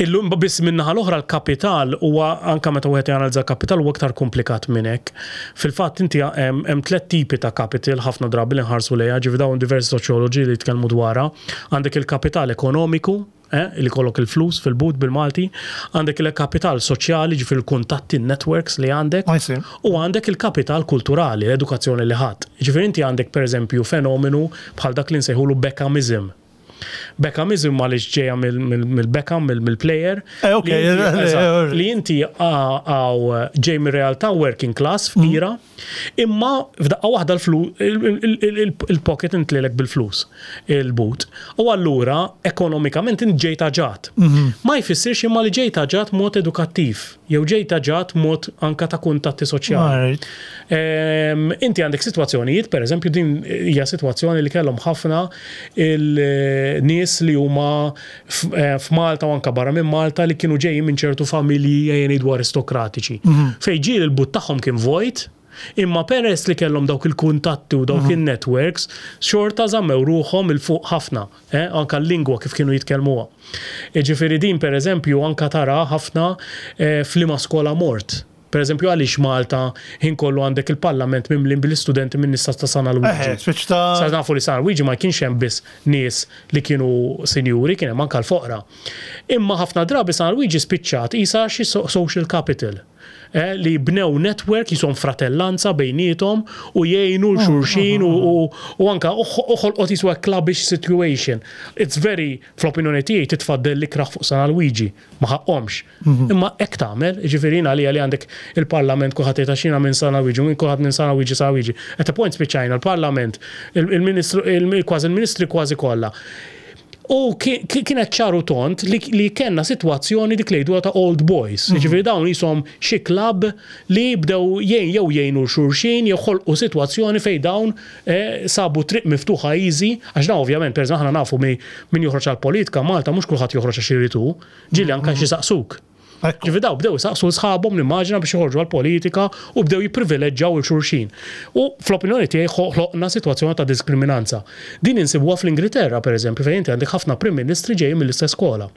S2: Illum biss minnaħa l-oħra l-kapital huwa, anka meta wieħed janalizza kapital, huwa aktar komplikat minn hekk. Fil-fatt inti hemm hemm tliet tipi ta' capital ħafna drabi li nħarsu lejha, ġifi dawn diversi soċjoloġi li jitkellmu dwarha. Għandek il-kapital ekonomiku, eh, li kollok il-flus fil-but bil-Malti, għandek il-kapital soċjali, ġifi il-kuntatti, networks li għandek,
S1: I see.
S2: u għandek il-kapital kulturali, l-edukazzjoni li ħadd. Ġifieri inti għandek, per eżempju, fenomenu bħal dak li nsejħulu Beckhamism. Beckhamism għaliex ġeja mill-Beckham, mill-player.
S1: Eh, ok,
S2: Li inti-
S1: eh,
S2: eżatt,
S1: eh,
S2: Li inti għaw ġej mir-realtà working class fqira, imma f'daqqa waħda l-flu- il- il- il- il-pocket intlilek bil-flus, il-but. U allura ekonomikament int ġejt aġat. Ma jfissirx imma li ġejt aġat mod edukattiv, jew ġejt aġat mod anka ta' kuntatti soċjali.
S1: Alright.
S2: Em, Inti għandek situazzjonijiet, per eżempju, din hija situazzjoni li kellhom ħafna il-nies li huma f- eh, f'Malta u anka barra minn Malta li kienu ġejjin minn ċertu familji, ejja ngħidu, aristokratiċi. Fejn ġieli l-but tagħhom kien vojt, imma peress li kellhom dawk il-kuntatti u dawk il-networks, xorta żammew ruħhom 'il fuq ħafna, eh? Anka l-lingwa kif kienu jitkellmuha. Ġifieri din, per eżempju, anka tara ħafna eh, f'liema skola mort. Per eżempju, għaliex Malta ħin kollu għandek il-parlament mimlin bil-istudenti minn nista ta' San Luigi?
S1: Eh, switch ta'
S2: Sa nafu li San Luigi ma kienx hemm biss nies li kienu sinjuri, kien hemm anka l-foqra. Imma ħafna drabi San Luigi spiċċat isa xi so- social capital. Eh, li bnew network jisom fratellanza bejnietom u jgħinu 'l xulxin u, u, u anka u ħolqot jiswa clubbish situation. It's very, fl-opinjoni tiegħi, titfaddel li kraħ fuq San Luigi, ma ħaqhomx. Imma hekk tagħmel, ġifieri għalija li għandek il-parlament kulħadd jgħid xina minn San Luigi, minn kulħadd minn San Luigi, San Luigi. At a point spiċċajna l-parlament, il- il-ministru, il- kważi il-ministri kważi kollha. U ki- ki- kienet ċaru tont li, li kellna situazzjoni dik li jgħidu ta' old boys. Ġifieri dawn jisom xi club li bdew jgħin jew jgħinu xulxin jew ħolqu situazzjoni fej dawn eh, sabu triq miftuħa easy, għax dawn ovvjament, per eżempju, aħna nafu mi- min joħroġ għal politika Malta, mhux kulħadd joħroġ għax iridu, ġieli anke xi saqsuk.
S1: Ekku.
S2: Ġifieri daw bdew saqsu sħabhom, nimmaġina, biex joħorġu għal-politika u bdew jipprivileġġaw 'il xulxin. U fl-opinjoni tiegħi ħloqna sitwazzjoni ta' diskriminanza. Din insibuha fl-Ingilterra, pereżempju, fejn inti għandek ħafna prim ministri ġejjin mill-istess skola.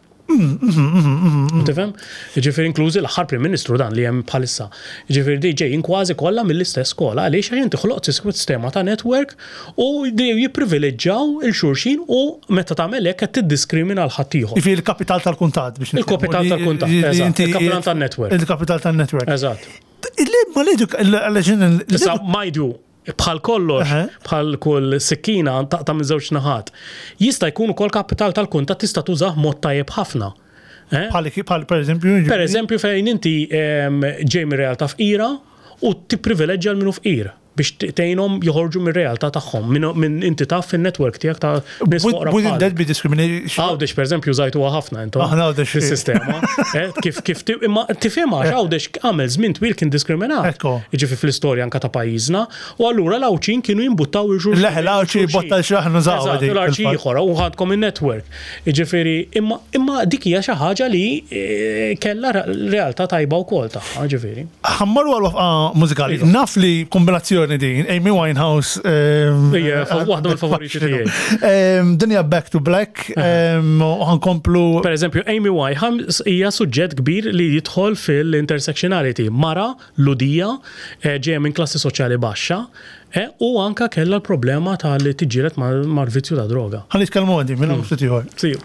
S2: Tifhem? Ġifieri inklużi l-aħħar Prim Ministru dan li hemm bħalissa. Ġifieri di ġejjin kważi kollha mill-istess skola għaliex għax inti ħloqt sistema ta' network u jipprivileġġjaw lil xulxin u meta tagħmel hekk qed tiddiskrimina l ħaddieħor.
S1: Jiġifieri il-kapital tal-kuntatt biex
S2: Il-kapital tal-kuntatt, eżatt. Il-kapital tan-network.
S1: Il-kapital tan-network.
S2: Eżatt.
S1: Ma l
S2: Issa mind you, bħal kollox, bħal kull sikkina taqta' minn żewġ naħat. Jista' jkun ukoll kapital tal-kuntatt tista' tużah mod tajjeb ħafna.
S1: Bħal per eżempju?
S2: Per eżempju fejn inti ġej minn realtà fqira u tipprivileġġja l minu fqir biex tgħinhom joħorġu mir-realtà tagħhom minn inti taf fin-network tiegħek ta'
S1: nies foqra. Wouldn't that be discrimination?
S2: Għawdex per eżempju użajtuha ħafna intom.
S1: Aħna Għawdex.
S2: Fis-sistema. Kif kif imma tifhimha għax Għawdex għamel żmien twil kien diskriminat. Jiġifieri fl-istorja anke ta' pajjiżna u allura l-Għawdxin kienu jimbuttaw il-xulxin.
S1: Leħ l-Għawdxi jimbotta l-xaħ nużaw.
S2: L-Għawdxi ieħor u ħadkom in-network. Jiġifieri imma imma dik hija xi ħaġa li kellha realtà tajba wkoll tagħha, ġifieri.
S1: Ħa mmorru għal waqfa mużikali. Naf li kombinazzjoni din, Amy Winehouse.
S2: Ija, waħda mill-favoriti tiegħi.
S1: Din hija Back to Black, u ħa nkomplu.
S2: Per eżempju, Amy Winehouse hija suġġett kbir li jidħol fil-intersectionality. Mara, Lhudija, ġejja minn klassi soċjali baxxa, u anka kellha l-problema tal-li tiġġieled mal-vizzju ta' droga.
S1: Ħa nitkellmu għandi, minn ftit ieħor.
S2: See you.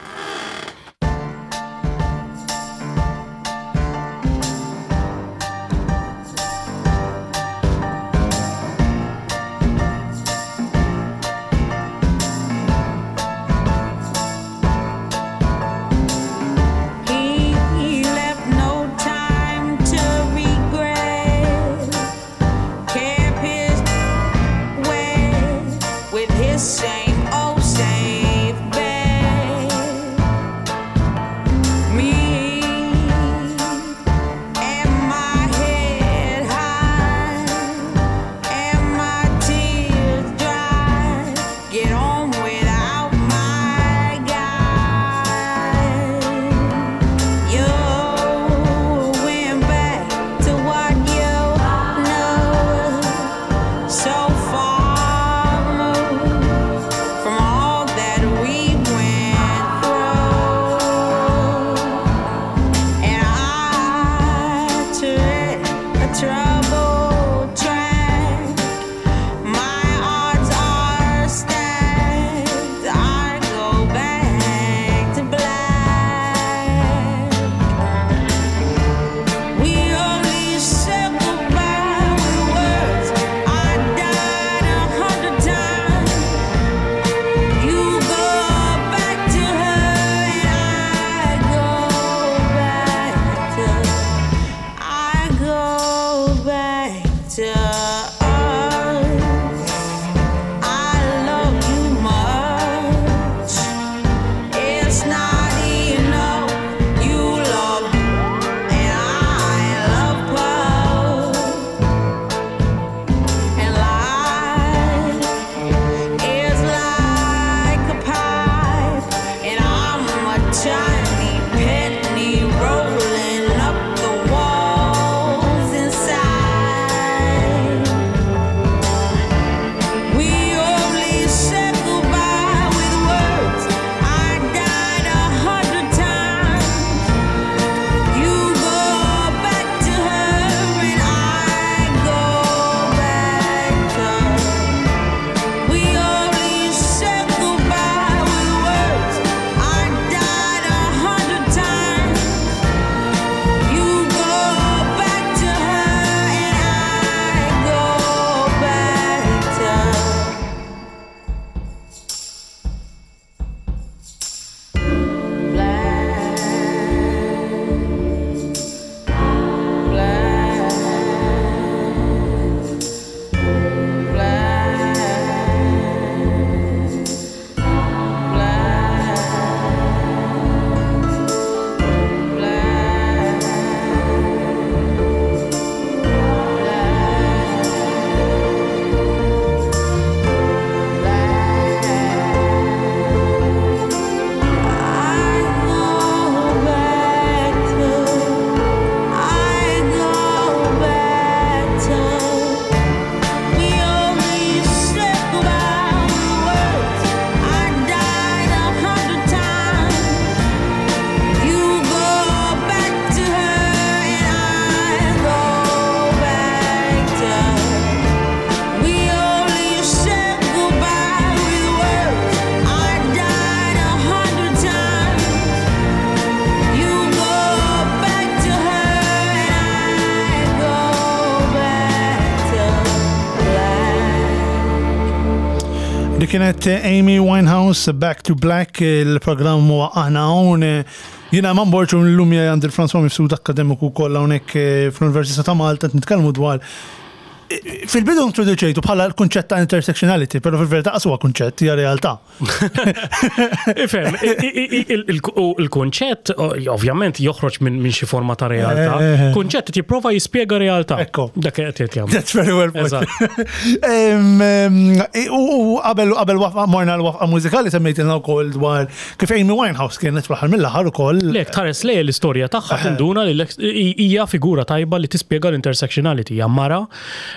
S3: Same old safe bet.
S1: Dik kienet Amy Winehouse, Back to Black, il-programm huwa Aħna Hawn. Jiena Eman Borg u llum għandi lil François Mifsud, akkademiku kollha hawnhekk eh, fl-Università ta' Malta, nitkellmu dwar, fil-bidu introduċejtu bħala l-kunċett ta' intersectionality, pero fil-verità huwa kunċett, hija realtà.
S2: Ifhem, il-kunċett ovvjament joħroġ minn xi forma ta' realtà.
S1: Eh, eh, eh.
S2: Kunċett jipprova jispjega realtà.
S1: Ekku.
S2: Dak qed jagħmel.
S1: That's very well put.
S2: Eżatt.
S1: Em, em, U u qabel qabel waqfa morna l-waqfa mużikali semmejtilna wkoll dwar kif Amy Winehouse kienet fl-aħħar mill-aħħar ukoll.
S2: Lek, tħares lej l-istorja tagħha tinduna li l- hija figura tajba li tispjega l-intersectionality. Hija mara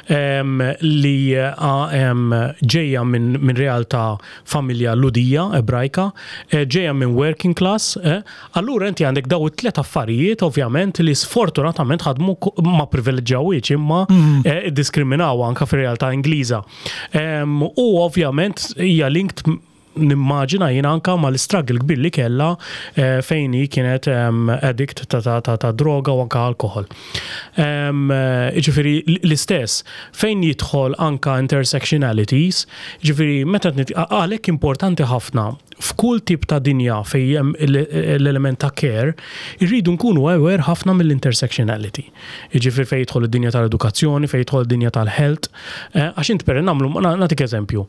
S2: em, li em, ġejja minn min realtà familja Lhudija, Ebrajka, eh, ġejja minn working class. eh, Allura inti għandek daw it-tlet affarijiet ovvjament li sfortunatament ħadmu ko- ma privileġġawiex imma eh, diskriminaw anka fir-realtà Ingliża. Em, U ovvjament hija linked, nimmaġina jien, anka ma l-struggle kbir li kella eh, fejn hi kienet em, addict ta', ta, ta, ta' droga u anka alkohol. Em, eh, Ġifieri l-istess, fejn jidħol anka intersectionalities, ġifieri meta nit- għalhekk importanti ħafna f'kull tip ta' dinja fejn hemm l- l-element ta' care, irridu nkunu aware ħafna mill-intersectionality. Ġifieri fejn jidħol id-dinja tal-edukazzjoni, fejn jidħol id-dinja tal-health, eh, għax int per nagħmlu, nagħtik eżempju.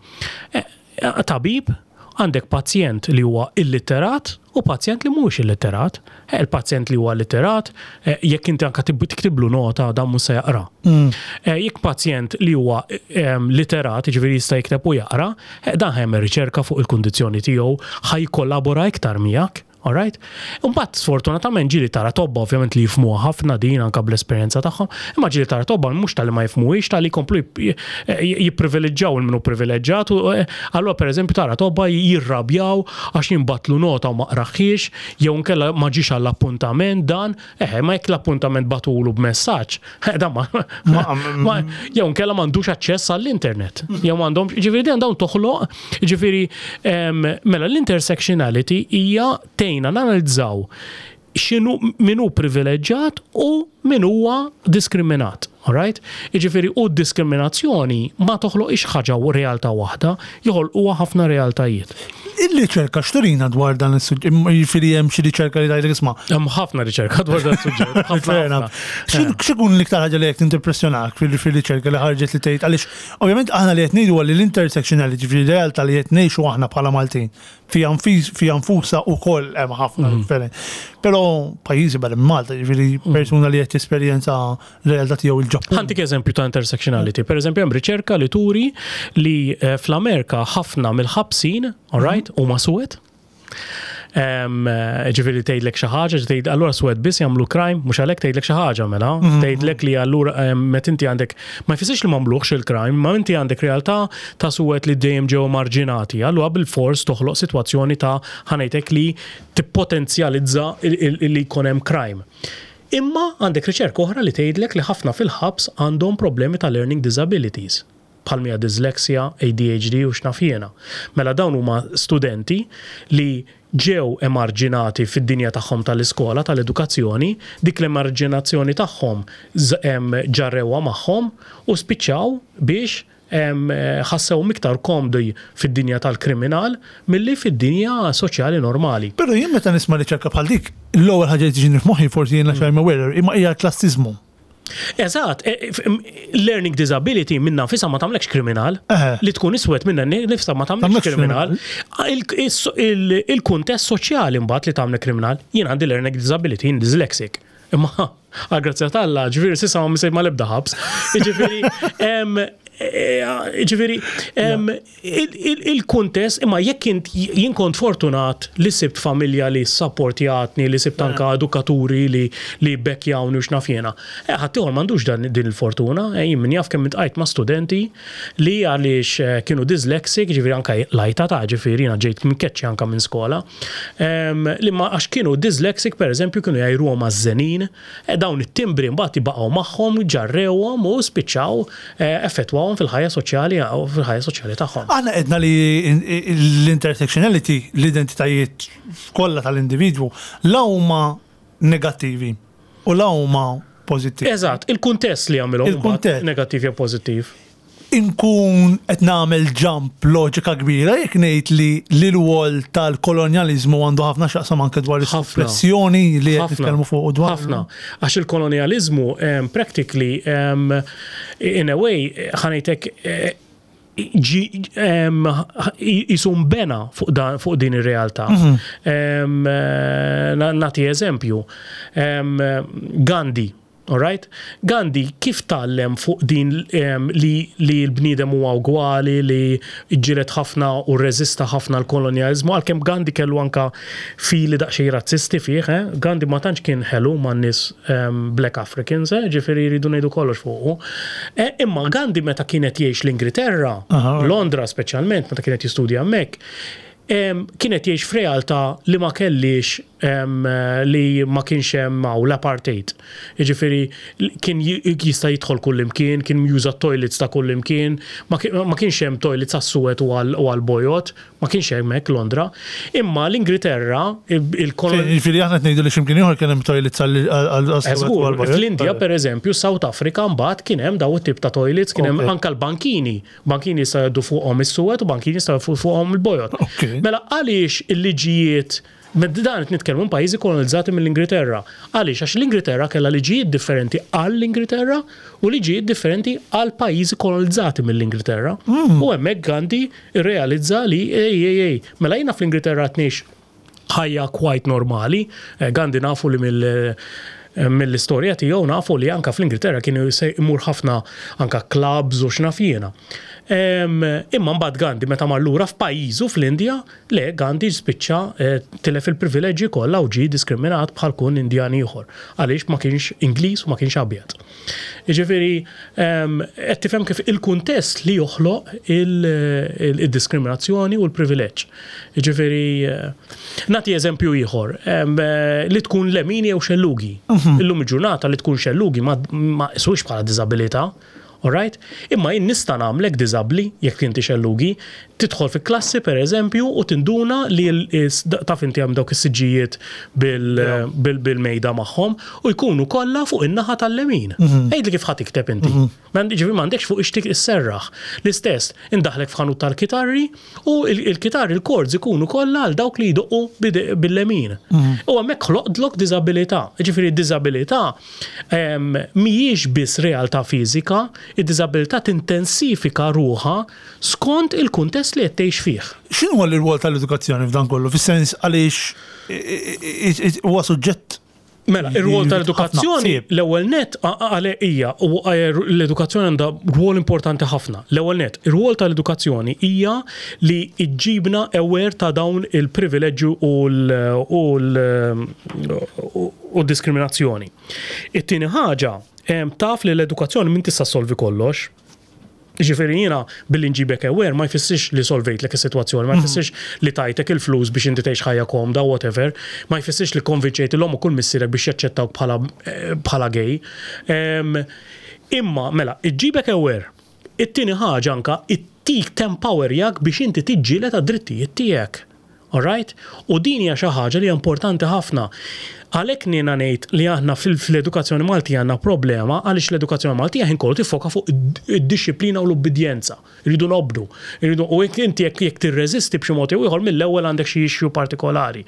S2: Eh, Tabib, għandek pazjent li huwa illiterat u pazjent li mhuwiex illiterat. Eh, Il-pazjent li huwa illiterat, eh, jekk inti anka tib- tiktiblu nota, dan mhux se jaqra. Eh, Jekk pazjent li huwa em, literat, ġifieri jista' jikteb u jaqra, eh, dan ħa jagħmel riċerka fuq il-kundizzjoni tiegħu, ħa jkollabora iktar miegħek. Alright? Imbagħad sfortunatament ġieli tara tobba ovvjament li jifhmuha ħafna din anka bl-esperjenza tagħhom, imma ġieli tara tobba mhux tal-li ma jifhmuhiex, tal-li jkomplu jip- jipprivileġġjaw il-minu privileġġjat u eh, allura pereżempju tara tobba jirrabjaw għax jinbagħatlu nota u ma qraħiex jew nkella ma ġiex għall-appuntament dan, eh ma jekk l-appuntament bagħtulu b'messaġġ, eh, dan ma, ma jew nkella m'għandux aċċess għall-internet. Jew m'għandhomx, ġifieri din dawn toħloq, ġifieri em, mela l-intersectionality hija tgħinna nanalizzaw x'inhu min hu privileġġjat u min huwa diskriminat. Alright? Jiġifieri u d-diskriminazzjoni ma toħloqx ħaġa u realtà waħda, joħolquha ħafna realtajiet.
S1: Il-riċerka x'turina dwar dan is-suġġett? Jiġifieri hemm xi riċerka li tgħidlek, isma'
S2: Hemm ħafna riċerka dwar dan is-suġġett. Ħafna,
S1: Fair enough.
S2: ħafna.
S1: X'in- X'ikun l-iktar ħaġa li jekk tintimpressjonak fil- fil-riċerka li ħarġet li tgħid, għaliex ovvjament aħna li qed ngħidu li l-intersectionality, ġifieri realtà li qed ngħixu aħna bħala Maltin fija nfis- fija nfusha wkoll hemm ħafna differenti. Però pajjiżi barra minn Malta, ġifieri persuna li qed tesperjenza realtà tiegħu il-Ġappun.
S2: Ħa ntik eżempju ta' intersectionality. Per eżempju, hemm riċerka li turi li eh, fl-Amerika ħafna mill-ħabsin, all right, huma suwed. Em, eh, Ġifieri tgħidlek xi ħaġa, tgħid allura suwed biss jagħmlu crime, mhux għalhekk tgħidlek xi ħaġa mela, tgħidlek li allura em, meta inti għandek, ma jfissirx li m'għamluhx il-crime, ma inti għandek realtà ta' suwed li dejjem ġew marġinati. Allura bil-fors toħloq sitwazzjoni ta', ħa ngħidlek, li tippotenzjalizza il- il- li jkun hemm crime. Imma għandek riċerka oħra li tgħidlek li ħafna fil-ħabs għandhom problemi ta' learning disabilities bħal mija dyslexia, A D H D u x'naf jiena. Mela dawn huma studenti li ġew emarġinati fid-dinja tagħhom tal-iskola, tal-edukazzjoni, dik l-emarġinazzjoni tagħhom z- em, ġarrewha magħhom u spiċċaw biex em, eh, ħassew iktar komdi fid-dinja tal-kriminal milli fid-dinja soċjali normali.
S1: Però jien meta nisma' riċerka bħal dik, l-ewwel ħaġa li tiġini f'moħħi, forsi jien għax I'm aware, imma hija klassizmu.
S2: Eżatt, e, f- m- learning disability minna nfisha ma tagħmlekx kriminal.
S1: Eħe.
S2: Li tkun iswed minna nifsa ma tagħmlekx
S1: Tagħmlekx
S2: kriminal. Il- is- il- Il-kuntest soċjali mbagħad li tagħmlek kriminal, jien għandi learning disability, jien dyslexic. Imma għal grazzja t'Alla, ġifieri s'issa ma missejt mal-ebda ħabs. Ġifieri, em, e, ġifieri, em, il- il- il-kuntest, imma jekk int jien kont fortunat li sibt familja li supportjatni, li sibt anka edukaturi li li bekkjawni u x'naf jiena. Eh, ħaddieħor m'għandux dan din il-fortuna, eh, jien min jaf kemm iltqajt ma' studenti li għaliex eh, kienu dyslexic, ġifieri anka lajta ta' ġifieri jiena ġejt mkeċċi anka minn skola, em, li ma għax kienu dyslexic, per eżempju, kienu jgħajruhom għaż-żenin, eh, dawn it-timbri mbagħad jibaqgħu magħhom, ġarrewhom u spiċċaw eh, effettwawhom fil-ħajja soċjali u fil-ħajja soċjali tagħhom.
S1: Aħna għedna li l-intersectionality, l-identitajiet kollha tal-individwu, la huma negattivi u la huma pożittivi.
S2: Eżatt, il-kuntest li jagħmilhom
S1: Il-kuntest.
S2: negattiv jew pożittiv.
S1: Inkun qed nagħmel jump loġika kbira jekk ngħid li l-rwol tal-kolonjaliżmu għandu ħafna x'jaqsam anke dwar is-suppressjoni li qed nitkellmu fuq u dwar.
S2: Ħafna. Għax il-kolonjaliżmu um, practically um, in a way ħa ngħidlek eh, ġi um, jisum bena fuq, dan, fuq din ir-realtà. Um, eh, Nagħti eżempju. Um, Gandhi, Alright? Gandhi kif tgħallem fuq din um, li, li l-bniedem huwa ugwali, li ġġieled ħafna u rreżista ħafna l-kolonjalizmu, għalkemm Gandhi kellu anka fili daqsxejn razzisti fih, eh? Gandhi ma tantx kien ħelu man nies um, Black Africans, eh? Ġifieri jridu ngħidu kollox fuqu. Eh, imma Gandhi meta kienet jgħix l-Ingilterra,
S1: Aha.
S2: Londra speċjalment, meta kienet jistudja hemmhekk, em, kienet jgħix f'realtà li ma kellix em, li ma kienx hemm hawn l-apartheid. Jiġifieri kien ji- jista' jidħol kull imkien, kien juża toilets ta' kull imkien, ma ki- ma kienx hemm toilets għas-suwed u għal- u għal-bojod, ma kienx hemm hekk Londra. Imma l-Ingilterra, il-kolon
S1: Ġifieri aħna qed ngħidu li x'imkien ieħor kien hemm toilets għal
S2: Żgur, fl-Indja per eżempju, South Africa mbagħad kien hemm daw it-tip ta' toilets, kien hemm
S1: Ok.
S2: anka l-bankini. Bankini jistgħu jgħaddu fuqhom is-suwed u bankini jistgħu jgħaddu fuqhom il-bojod.
S1: Ok.
S2: Mela għaliex il-liġijiet Med dan qed nitkellmu pajjiżi kolonizzati mill-Ingilterra. Għaliex? Għax l-Ingilterra kellha liġijiet differenti għall-Ingilterra u liġijiet differenti għal pajjiżi kolonizzati mill-Ingilterra. U hemmhekk Gandhi irrealizza li ej ej ej, mela jiena fl-Ingilterra tnix ħajja quite normali. Eh, Gandhi nafu li mill eh, mill-istorja tiegħu nafu li anka fl-Ingilterra kienu se imur ħafna anka clubs u x'naf jiena. Em, Imma mbagħad Gandhi meta mar lura f'pajjiżu fl-Indja, le Gandhi spiċċa eh, tilef il-privileġġi kollha u ġie diskriminat bħal kull Indjan ieħor għaliex ma kienx Ingliż u ma kienx abjad. Jiġifieri em, qed tifhem kif il-kuntest li joħloq il- il- il-diskriminazzjoni u l-privileġġ. Jiġifieri eh, nagħti eżempju ieħor, em, eh, li tkun lemini jew xellugi. Illum il-ġurnata li tkun xellugi ma ma isux bħala diżabilità. Alright? Imma jien nista' nagħmlek diżabbli jekk inti xellugi, tidħol fi klassi per eżempju u tinduna li l- is- taf inti hemm dawk is-siġġijiet bil- bil- bil-mejda magħhom u jkunu kollha fuq in-naħa tal-lemin. Għidli kif ħa tikteb inti. Ma Ġifieri m'għandekx fuq ixtik isserraħ. L-istess, indaħlek f'ħanut tal-kitarri u il- il-kitarri il-chords ikunu kollha għal dawk li jdoqqu bide- bil-lemin. U hemmhekk ħloqtlok diżabilità. Ġifieri d-diżabilità em, mhijiex biss realtà fiżika, id-diżabilità tintensifika ruħha skont il-kuntest li qed tgħix fih.
S1: X'inhu l-rwol tal-edukazzjoni f'dan kollu? Fis-sens għaliex huwa suġġett
S2: Mela, ir-rwol tal-edukazzjoni,
S1: ħafna ħsieb.
S2: l-ewwel net għale hija u l-edukazzjoni għandha rwol importanti ħafna. L-ewwel net, ir-rwol tal-edukazzjoni hija li iġġibna aware ta' dawn il-privileġġju u l- u l- u diskriminazzjoni. It-tieni ħaġa, em, taf li l-edukazzjoni min tista' solvi kollox. Ġifieri jiena billi nġibek aware ma jfissirx li solvejtlek is-sitwazzjoni, ma jfissirx li tajtek il-flus biex inti tgħix ħajja komda, whatever, ma jfissirx li konvinċejt l-omm u kull missierek biex jaċċettawk bħala eh, bħala gay. Em, Imma mela, iġġibek aware. It-tieni ħaġa anka ittik tempowerjak biex inti tiġġieled għad-drittijiet tiegħek. Alright? U din hija xi ħaġa li hija importanti ħafna. Għalhekk jiena ngħid li aħna fil- fl-edukazzjoni Maltija għandna problema għaliex l-edukazzjoni Maltija ħin kollu tiffoka fuq id-disciplina u l-ubbidjenza. Irridu nobdu. Irridu u jekk inti jekk jekk tirreżisti b'xi mod jew ieħor mill-ewwel għandek xi issue partikolari.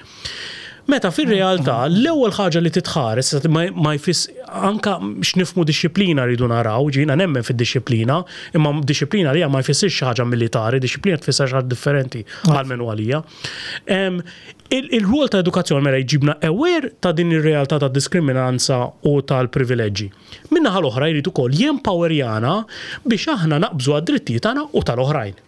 S2: Meta fir-realtà l-ewwel ħaġa li titħares ma ma jfiss anka x'nifhmu disciplina rridu naraw, jiena nemmen fid-disciplina, imma disciplina li ma jfissirx xi ħaġa militari, disciplina tfisser xi ħaġa differenti għal għalija. Em, il- Il-rwol ta' edukazzjoni mela jġibna aware ta' din ir-realtà ta' diskriminanza u tal-privileġġi. Min-naħa l-oħra jrid ukoll jempowerjana biex aħna naqbżu għad-drittijiet tagħna u tal-oħrajn.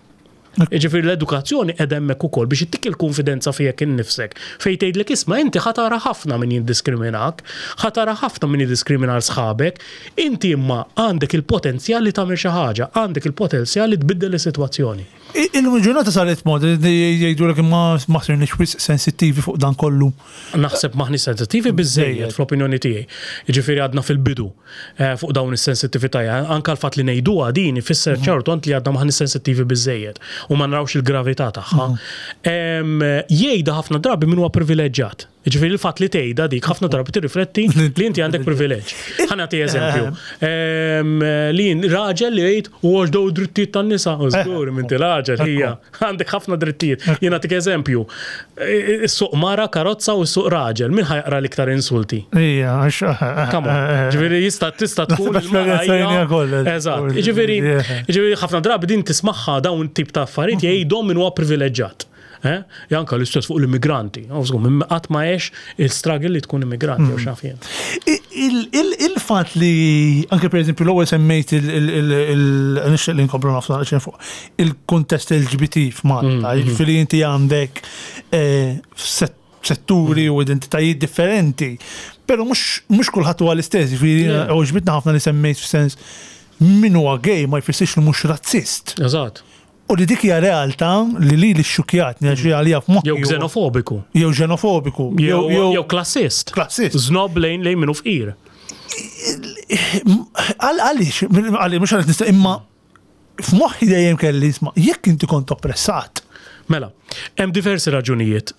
S2: Ġifieri l-edukazzjoni qed hemmhekk ukoll biex ittik il-konfidenza fijek innifsek. Fejn tgħidlek isma' inti ħa tara ħafna min jiddiskriminak, ħa tara ħafna min jiddiskrimina sħabek, inti imma għandek il-potenzjal li tagħmel xi ħaġa, għandek il-potenzjal li tbiddel is-sitwazzjoni.
S1: Illum il-ġurnata saret mod jgħidu l imma ma sirniex wisq sensittivi fuq dan kollu.
S2: Naħseb maħni sensittivi biżejjed fl-opinjoni tiegħi. Jiġifieri għadna fil-bidu eh, fuq dawn is-sensittività. Anka l-fatt li ngħiduha din ifisser ċertu li għadna maħni sensittivi biżejjed u ma narawx il-gravità tagħha. Em, Jgħidha ħafna drabi min huwa privileġġjat. Ġifieri il-fatt li tgħidha dik ħafna drabi tirrifletti li inti għandek privileġġ. Ħa nagħti eżempju. Ehm, Li raġel li jgħid u għax daw drittijiet tan-nisa. U żgur inti raġel hija għandek ħafna drittijiet. Jien nagħtik eżempju. Issuq mara karozza u ssuq raġel. Min ħa jaqra l-iktar insulti?
S1: Ija, għax.
S2: Come on. Ġifieri jista' tista' tkun il-mara
S1: Esperjenzajnija kollha.
S2: Eżatt. Ġifieri ġifieri ħafna drabi din tismagħha dawn tip ta' affarijiet jgħidhom min huwa privileġġjat. Eh? Janka l-istess fuq l-immigranti. Żgur, minn qatt ma għex il-struggle li tkun immigranti jew x'naf jien.
S1: Il-fatt li anke per eżempju l-ewwel semmejt il-nixtieq li nkomplu nafsu naqra fuq il-kuntest L G B T f'Malta, jiġifieri inti għandek eh, set- setturi u identitajiet differenti, però mhux mhux kulħadd huwa l-istess, jiġifieri
S2: Yeah.
S1: għoġbitna ħafna li semmejt f'sens min huwa gay ma jfissirx li mhux razzist.
S2: Eżatt.
S1: U li dik hija realtà li li li xxukjatni għax għalija f'moħħi.
S2: Jew xenofobiku.
S1: Jew xenofobiku.
S2: Jew jew klassist.
S1: Klassist.
S2: Znob lejn lejn minnu fqir.
S1: Għal għaliex, għaliex mhux għaliex nista' imma f'moħħi dejjem kelli isma' jekk inti kont oppressat.
S2: Mela, hemm diversi raġunijiet.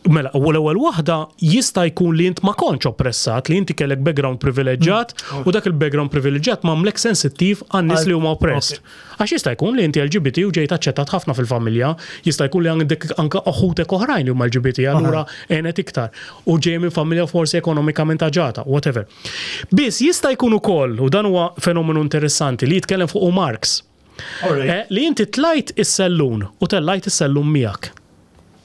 S2: Mela, u l-ewwel waħda jista' jkun li int ma kontx oppressat, li inti kellek background privileġġjat u dak il-background privileġġjat m'għamlek sensittiv għan-nies li huma oppressed. Għax jista' jkun li inti L G B T u ġejt aċċettat ħafna fil-familja, jista' jkun li għandek anka oħutek oħrajn li huma L G B T, allura għenet iktar. U ġej minn familja forsi ekonomikament aġata, whatever. Biss jista' jkun ukoll, u dan huwa fenomenu interessanti li jitkellem fuq Marx. Eh, li inti tlajt is-sellun u tellajt is-sellun miegħek.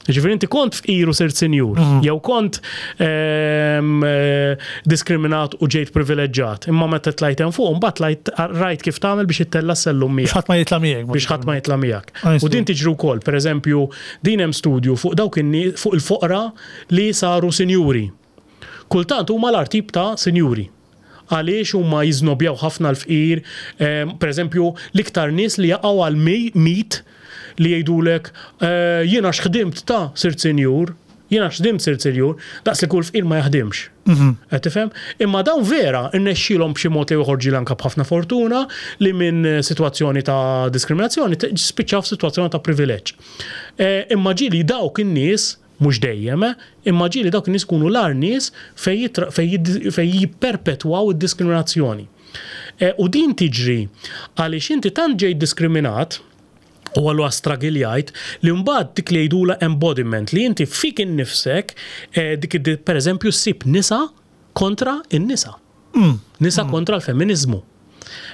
S2: Ġifieri inti kont fqir u sirt sinjur, jew kont ehm, eh, diskriminat u ġejt privileġġjat, imma meta tlajt hemm fuq, mbagħad tlajt rajt kif tagħmel biex ittella' s-sellum
S1: Biex
S2: miegħek.
S1: ħadd ma jitla' miegħek.
S2: Biex ħadd ma jitla' miegħek.
S1: I
S2: U
S1: see.
S2: din tiġri wkoll, pereżempju, din hemm studju fuq dawk in-nies fuq il-foqra li saru sinjuri. Kultant huma l-agħar tip ta' sinjuri. Għaliex huma jiżnobjaw ħafna l-fqir, em, per eżempju, l-iktar nies li jaqgħu għal mi- mit li jgħidulek eh, jiena x'ħdimt ta' sirt sinjur, jiena x'ħdimt sirt sinjur, daqs li kull fqir ma jaħdimx. Qed tifhem? Imma dawn vera irnexxielhom b'xi mod li joħorġu anka b'ħafna fortuna li minn eh, sitwazzjoni ta' diskriminazzjoni t- spiċċaw f'sitwazzjoni ta' privileġġ. Eh, Imma ġieli dawk in-nies mhux dejjem, eh, imma ġieli dawk in-nies kunu l-agħar nies fej jitra- fej jid- fej jipperpetwaw id-diskriminazzjoni. Eh, U din tiġri għaliex inti tant ġejt diskriminat u għallu stragiljajt li mbagħad dik li jgħidula embodiment li inti fik innifsek eh, dik id- per eżempju ssib nisa kontra in-nisa. Nisa kontra l-feminizmu.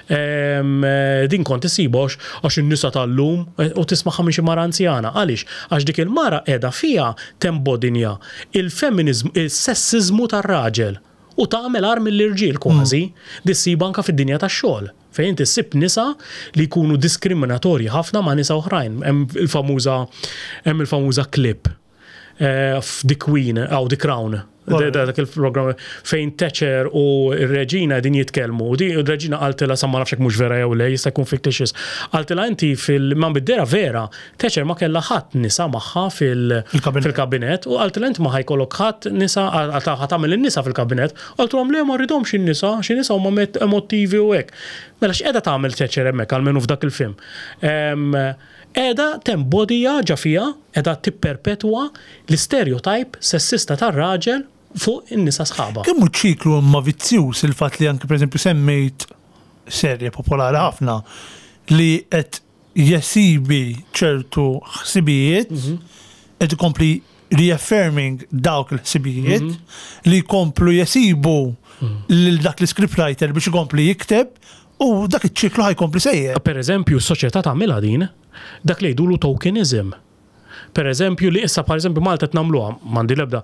S2: Em, eh, din kont isibu għax għax in-nisa tal-lum eh, u tismaħħa minn xi mara anzjana. Għaliex? Għax dik il-mara qiegħda fiha tembodinja il-feminizmu, il-sessizmu tar-raġel u tagħmel agħar mill-irġiel kważi, din issibha anka fid-dinja tax-xogħol. Fejn inti ssib nisa li jkunu diskriminatorji ħafna ma' nisa oħrajn. Hemm il-famuża hemm il-famuża clip eh, f'The Queen, aw The Crown. Da- da- Dak il-programm fejn Thatcher u r-reġina din jitkellmu. U di r-reġina qaltilha sa ma nafx hekk mhux vera jew le, jista' jkun fictitious. Qaltilha inti fil ma bid-dera vera, Thatcher ma kellha ħadd nisa magħha fil-
S1: Fil-kabinett.
S2: fil-kabinett u qaltilha inti ma ħa jkollok ħadd nisa għal ħa tagħmel in-nisa fil-kabinett. Qaltilhom le ma rridhomx in-nisa, xi nisa huma met- emotivi u hekk. Mela x'qiegħda tagħmel Thatcher hemmhekk almenu f'dak il-film? Em, Qiegħda tembodija ġa fiha, qiegħda tipperpetwa l-stereotype sessista tar-raġel fuq in-nisa sħaba.
S1: Kemm hu ċiklu imma vizzjuż il-fatt li anke pereżempju semmejt serje popolari ħafna li qed jesibi ċertu ħsibijiet, qed ikompli reaffirming dawk il-ħsibijiet li jkomplu jesibu lil dak l-scriptwriter biex ikompli jikteb u dak iċ-ċiklu ħa jkompli sejjer.
S2: Per eżempju, s-soċjetà tagħmilha din, dak li jgħidulu tokenism. Per eżempju, li issa per eżempju Malta nagħmluha, m'għandi l-ebda,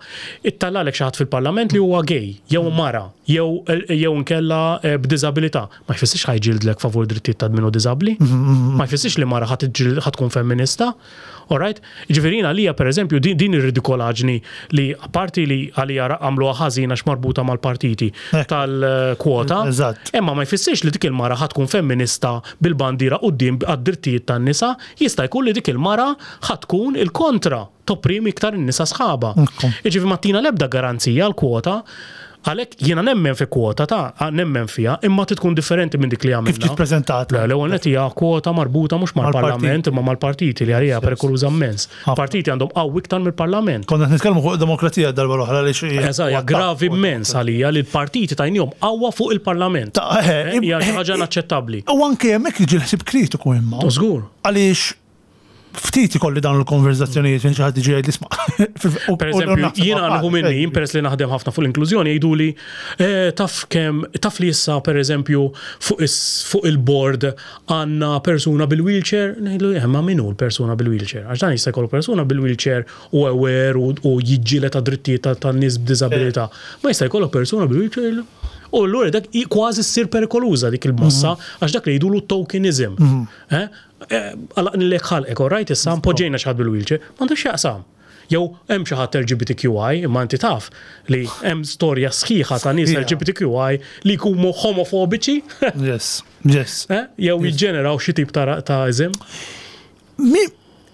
S2: ittallalek xi ħadd fil-parlament li huwa gay, jew mara, jew jew nkella eh, b'diżabilità. Ma jfissirx ħa jġildlek favur drittijiet ta' min hu diżabbli, ma jfissirx li mara ħa tkun femminista. Alright? Ġifieri għalija per eżempju din, din ir-ridikolaġni li apparti li għalija għamluha ħażin għax marbuta mal-partiti
S1: Ekk.
S2: tal-kwota.
S1: Eżatt.
S2: Imma ma jfissirx li dik il-mara ħa tkun femminista bil-bandira quddiem għad-drittijiet tan-nisa, jista' jkun li dik il-mara ħa tkun il-kontra, topprimi iktar in-nisa sħaba.
S1: Ekku.
S2: Jiġifieri ma ttina l-ebda garanzija l-kwota. Għalhekk jiena nemmen fi kwota ta' nemmen fiha, imma tkun differenti minn dik li għamilna.
S1: Kif ġiet preżentata?
S2: Le, l-ewwel nett hija kwota marbuta mhux mal-Parlament imma mal-partiti li għalija perikoluża immens. Partiti għandhom qawwi iktar mill-Parlament.
S1: Konna qed nitkellmu fuq demokrazija darba l-oħra li xi.
S2: Eżatt, hija gravi immens għalija li l-partiti tajnihom qawwa fuq il-Parlament.
S1: Ta' eh,
S2: Eh, Hija xi ħaġa inaċċettabbli.
S1: U anke hemmhekk jiġi l-ħsieb kritiku imma.
S2: U żgur.
S1: Għaliex ftit ikolli dawn il-konverzazzjonijiet fejn xi ħadd jiġi jgħid isma'.
S2: Per eżempju, jiena nieħu minni, jien peress li naħdem ħafna fuq l-inklużjoni, jgħidu li eh, taf kemm taf li issa per eżempju fuq is- fuq il-board għandna persuna bil-wheelchair, ngħidlu eh, ma min hu l-persuna bil-wheelchair? Għax dan jista' jkollu persuna bil-wheelchair u aware u, u jiġġieled ta' drittijiet ta' tan-nies b'diżabilità. Ma jista' jkollu persuna bil-wheelchair U allura dak i- kważi ssir perikoluża dik il-mossa, għax dak li jgħidulu tokenism. Eh? Eh, Għalaq nilek ħalqek, all right, issa poġġejna xi ħadd bil-wheelchair, m'għandux x'jaqsam. Jew hemm xi ħadd L G B T Q I, imma inti taf li hemm storja sħiħa ta' nies
S1: Sħiħa.
S2: L G B T Q I li jkunu homofobiċi,
S1: Yes, yes.
S2: eh? Jew jiġġeneraw xi tip ta' ta' iżim.
S1: Mi,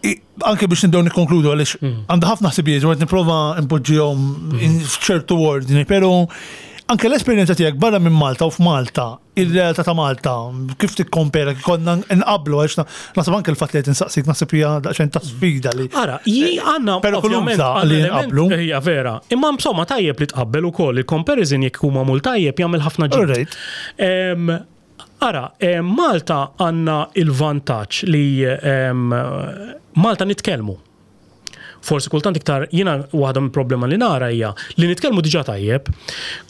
S1: i- anke biex nibdew nikkonkludu għaliex għandha ħafna ħsibijiet u qed nipprova npoġġihom in- f'ċertu ordni, però anke l-esperjenza tiegħek barra minn Malta u f'Malta, ir-realtà ta' Malta, kif tikkompera, kif konna nqablu, għax naħseb anke l-fatt li qed insaqsik naħseb hija daqsxejn ta' sfida li.
S2: Ara, ji għandna
S1: Perikoluża
S2: ovvjament għandna
S1: li
S2: element-
S1: nqablu.
S2: Hija vera. Imma insomma tajjeb li tqabbel ukoll il-comparison jekk huma mul tajjeb jagħmel ħafna ġid.
S1: Alright.
S2: Em, Ara, em, Malta għandna il-vantaġġ li em, Malta nitkellmu. Forsi kultant iktar, jiena waħda mill problema li nara hija li nitkellmu diġà tajjeb,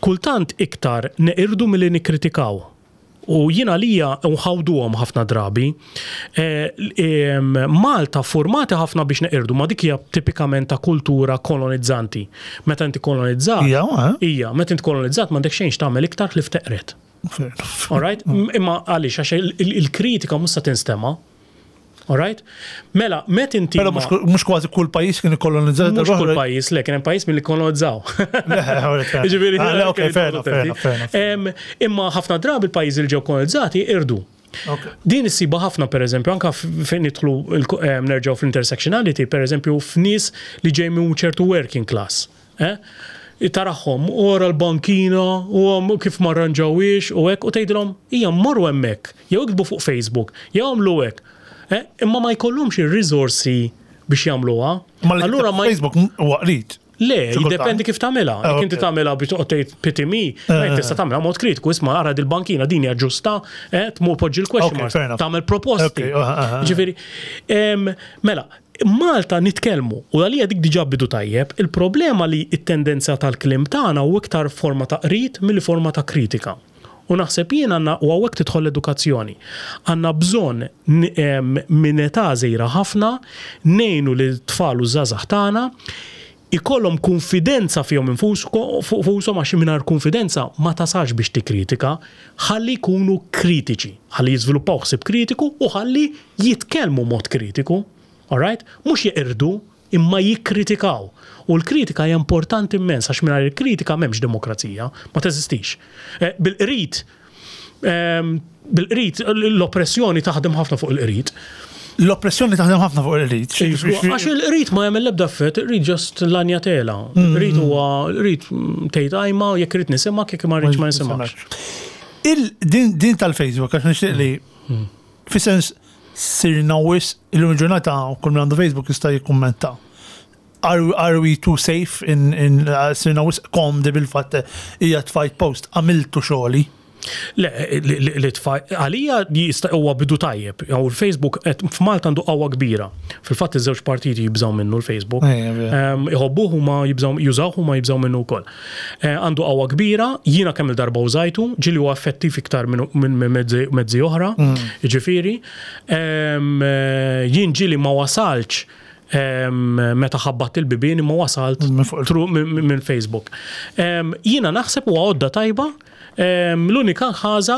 S2: kultant iktar neqirdu milli nikkritikaw. U jiena lija nħawduhom ħafna drabi. Eh, em, Malta formati ħafna biex neqirdu, ma dik hija tipikament ta' kultura kolonizzanti. Meta inti kolonizzat,
S1: Ija, eh?
S2: hija, meta inti kolonizzat m'għandek xejn x'tagħmel iktar li fteqret.
S1: Fair enough.
S2: All right? Imma għaliex, għax il- il- il-kritika mhux se tinstema'. All right? Mela, met inti.
S1: Però mhux mhux kważi kull pajjiż kien ikkolonizzat.
S2: Mhux kull pajjiż, le, kien hemm pajjiż milli kolonizzaw. Ġifieri,
S1: Ah, le, ok, fair enough, fair enough, fair enough.
S2: Em, Imma ħafna drabi il-pajjiżi li ġew kolonizzati irdu.
S1: Ok.
S2: Din issiba ħafna per eżempju, anka f- fejn nidħlu il- em, nerġgħu fl-intersectionality, per eżempju, f'nies li ġej minn ċertu working class. Eh? Taraħħom, ora l-bankina, u għam kif ma rranġawiex, u hekk, u tgħidilhom, hija morru hemmhekk, jew iktbu fuq Facebook, jew għamlu hekk. Eh? Imma ma jkollhomx ir-riżorsi biex jagħmluha.
S1: Ma li
S2: Allura ma
S1: Facebook huwa qrid.
S2: Le,
S1: Xi kultant.
S2: jiddependi kif tagħmilha.
S1: Ah,
S2: Jekk inti
S1: ok.
S2: tagħmilha biex toqgħod tgħid pity me, eh, tista' tagħmilha mod kritiku, isma' ara dil-bankina din hija ġusta, eh, tmur poġġi l-question
S1: Ok,
S2: marks,
S1: fair enough.
S2: tagħmel proposti.
S1: Ok, ah, ah, ah.
S2: Ġifieri, em, mela, Malta nitkellmu u għalija dik diġà bidu tajjeb, il-problema li it-tendenza tal-kliem tagħna u iktar forma ta' qrid milli forma ta' kritika. U naħseb jien għandna u hawnhekk tidħol l-edukazzjoni. Għandna bżonn n- em, minn età żgħira ħafna ngħinu lil tfal u żgħażagħ tagħna ikollhom konfidenza fihom infushom, għax mingħajr konfidenza ma tasax biex tikkritika, ħalli jkunu kritiċi, ħalli jiżviluppaw ħsieb kritiku u ħalli jitkellmu mod kritiku. Alright? Mhux jeqirdu, imma jikkritikaw. U l-kritika hija importanti immens, għax mingħajr il-kritika m'hemmx demokrazija, ma teżistix. Eh, Bil-qrid, ehm, bil-qrid, l-oppressjoni taħdem ħafna fuq il-qrid.
S1: L-oppressjoni taħdem ħafna fuq il-qrid.
S2: Għax il-qrid ma jagħmel l-ebda effett, il-qrid just lanjatela. Il-qrid huwa il-qrid tgħid għajma jekk irid nisimgħek, jekk ma rridx ma nisimgħekx.
S1: Il din din tal-Facebook għax nixtieq li fi sens sirna wisq illum il-ġurnata kull min għandu Facebook jista' jikkummenta. Are, are we too safe in, in uh, sirna wisq komdi bil-fatt hija tfajt post, għamiltu xogħli?
S2: Le, li- li li tfa' għalija jista' huwa bidu tajjeb. Jew il-Facebook qed- f'Malta għandu qawwa kbira. Fil-fatt iż-żewġ partiti jibżgħu minnu l-Facebook.
S1: Ejja, vera.
S2: Em, Iħobbuh huma jibżgħu jużawh huma jibżgħu minnu wkoll. Eh, Għandu qawwa kbira, jiena kemm il-darba użajtu, ġieli huwa effettiv iktar minn minn mezzi mezzi oħra, jiġifieri. Em, eh, Jien ġieli ma wasalx em, meta ħabbat il-bibien imma wasalt
S1: Minn fuq il-
S2: through minn minn Facebook. Em, Jiena naħseb huwa għodda tajba. em, L-unika ħaġa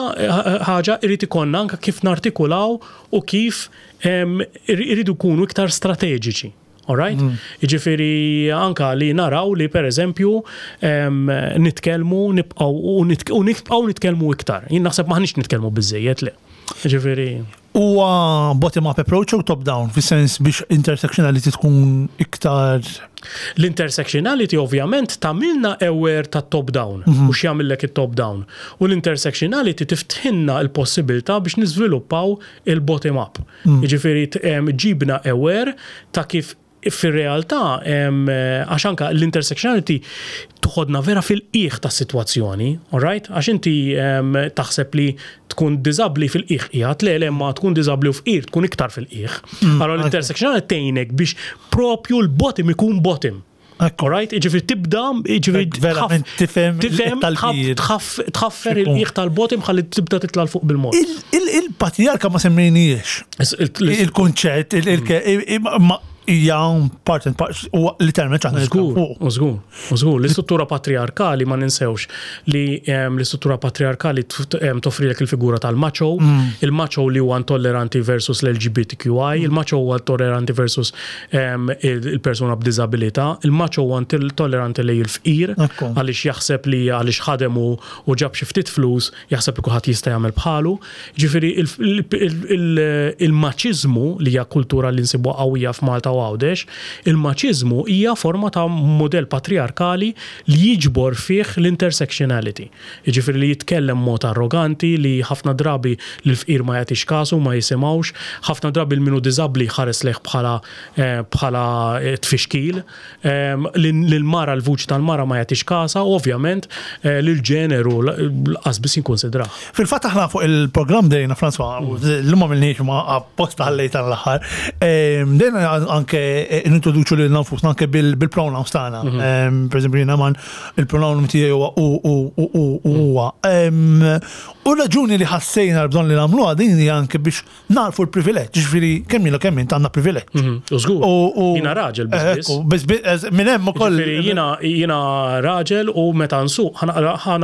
S2: ħaġa irid ikollna anke kif nartikulaw u kif em, ir- iridu jkunu iktar strateġiċi. Alright? Jiġifieri anka li naraw li per eżempju em, nitkellmu nibqgħu u nitk- u nibqgħu nitkellmu iktar. Jien naħseb maħniex nitkellmu biżejjed le. Jiġifieri
S1: Huwa bottom-up approach u top-down, fis-sens biex intersectionality tkun iktar?
S2: L-intersectionality ovvjament tagħmilna aware ta' top-down mm -hmm. u x'jagħmillek it-top-down. U l-intersectionality tiftħilna l-possibilità biex niżviluppaw il-bottom-up. Mm. Jiġifieri ġibna aware ta' kif fir-realtà, għax anka l-intersectionality toħodna vera fil-qiegħ ta' situazzjoni, alright? Għax inti taħseb li tkun diżabbli fil-qiegħ qiegħed, le le ma tkun diżabbli u fqir tkun iktar fil-qiegħ. Mm, allora l-intersectionality tgħinek biex propju l-bottom ikun bottom. Alright, ġifieri tibda, ġifieri
S1: verament tifhem
S2: tifhem tħaffer il-qiegħ tal-bottom ħalli tibda titla' fuq bil-mod.
S1: Il-patriarka ma semmejniex. Il-kunċett, hija part and part u literalment aħna.
S2: Żgur, żgur, żgur. L-istruttura patriarkali, ma ninsewx li l-istruttura patriarkali toffrilek il-figura tal-macho, mm. il-macho li huwa intolleranti versus l-L G B T Q I, il-macho huwa intolleranti versus il-persuna b'diżabilità, il-macho huwa intolleranti lejn il-fqir għaliex jaħseb li għaliex ħadem u ġab xi ftit flus jaħseb li kulħadd jista' jagħmel bħalu. Ġifieri il-maċiżmu, li hija kultura li nsibu qawwija f'Malta u Għawdex, il-maċiżmu hija forma ta' modell patriarkali li jiġbor fih l-intersectionality. Jiġifieri li jitkellem mod arroganti, li ħafna drabi l-fqir ma jagħtix kasu, ma jisimgħux, ħafna drabi l-min hu diżabbli ħares lejh bħala eh, bħala eh, tfixkil, l-mara, l-vuċi tal-mara ma jagħtix kasa, u ovvjament eh, l-ġeneru lanqas biss jinkonsidrah.
S1: Fil-fatt aħna fuq il-programm dejna, François, l-lumma mill ma apposta ħallejta l-aħħar, dejna anke nintroduċu lil nfusna anke bil-pronouns tagħna. Mhm. Per eżempju, jiena man il-pronoun tiegħi huwa u u u u huwa. U raġuni li ħassejna l-bżonn li nagħmluha din hija anke biex narfu l-privileġġ, ġifieri kemm ilu kemm int għandna privileġġ.
S2: Mhm. U żgur. Jiena raġel biss.
S1: Biss minn hemm ukoll.
S2: Jiena jiena raġel u meta nsuq ħa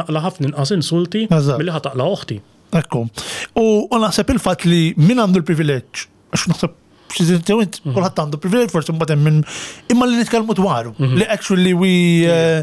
S2: naqla' ħafna inqas insulti milli ħa taqla' oħti.
S1: Ekku. U naħseb il-fatt li min għandu l-privileġġ, għax naħseb int mhm. kulħadd għandu privileġġ, forsi mbagħad hemm minn imma li nitkellmu dwaru mhm. li actually we eh,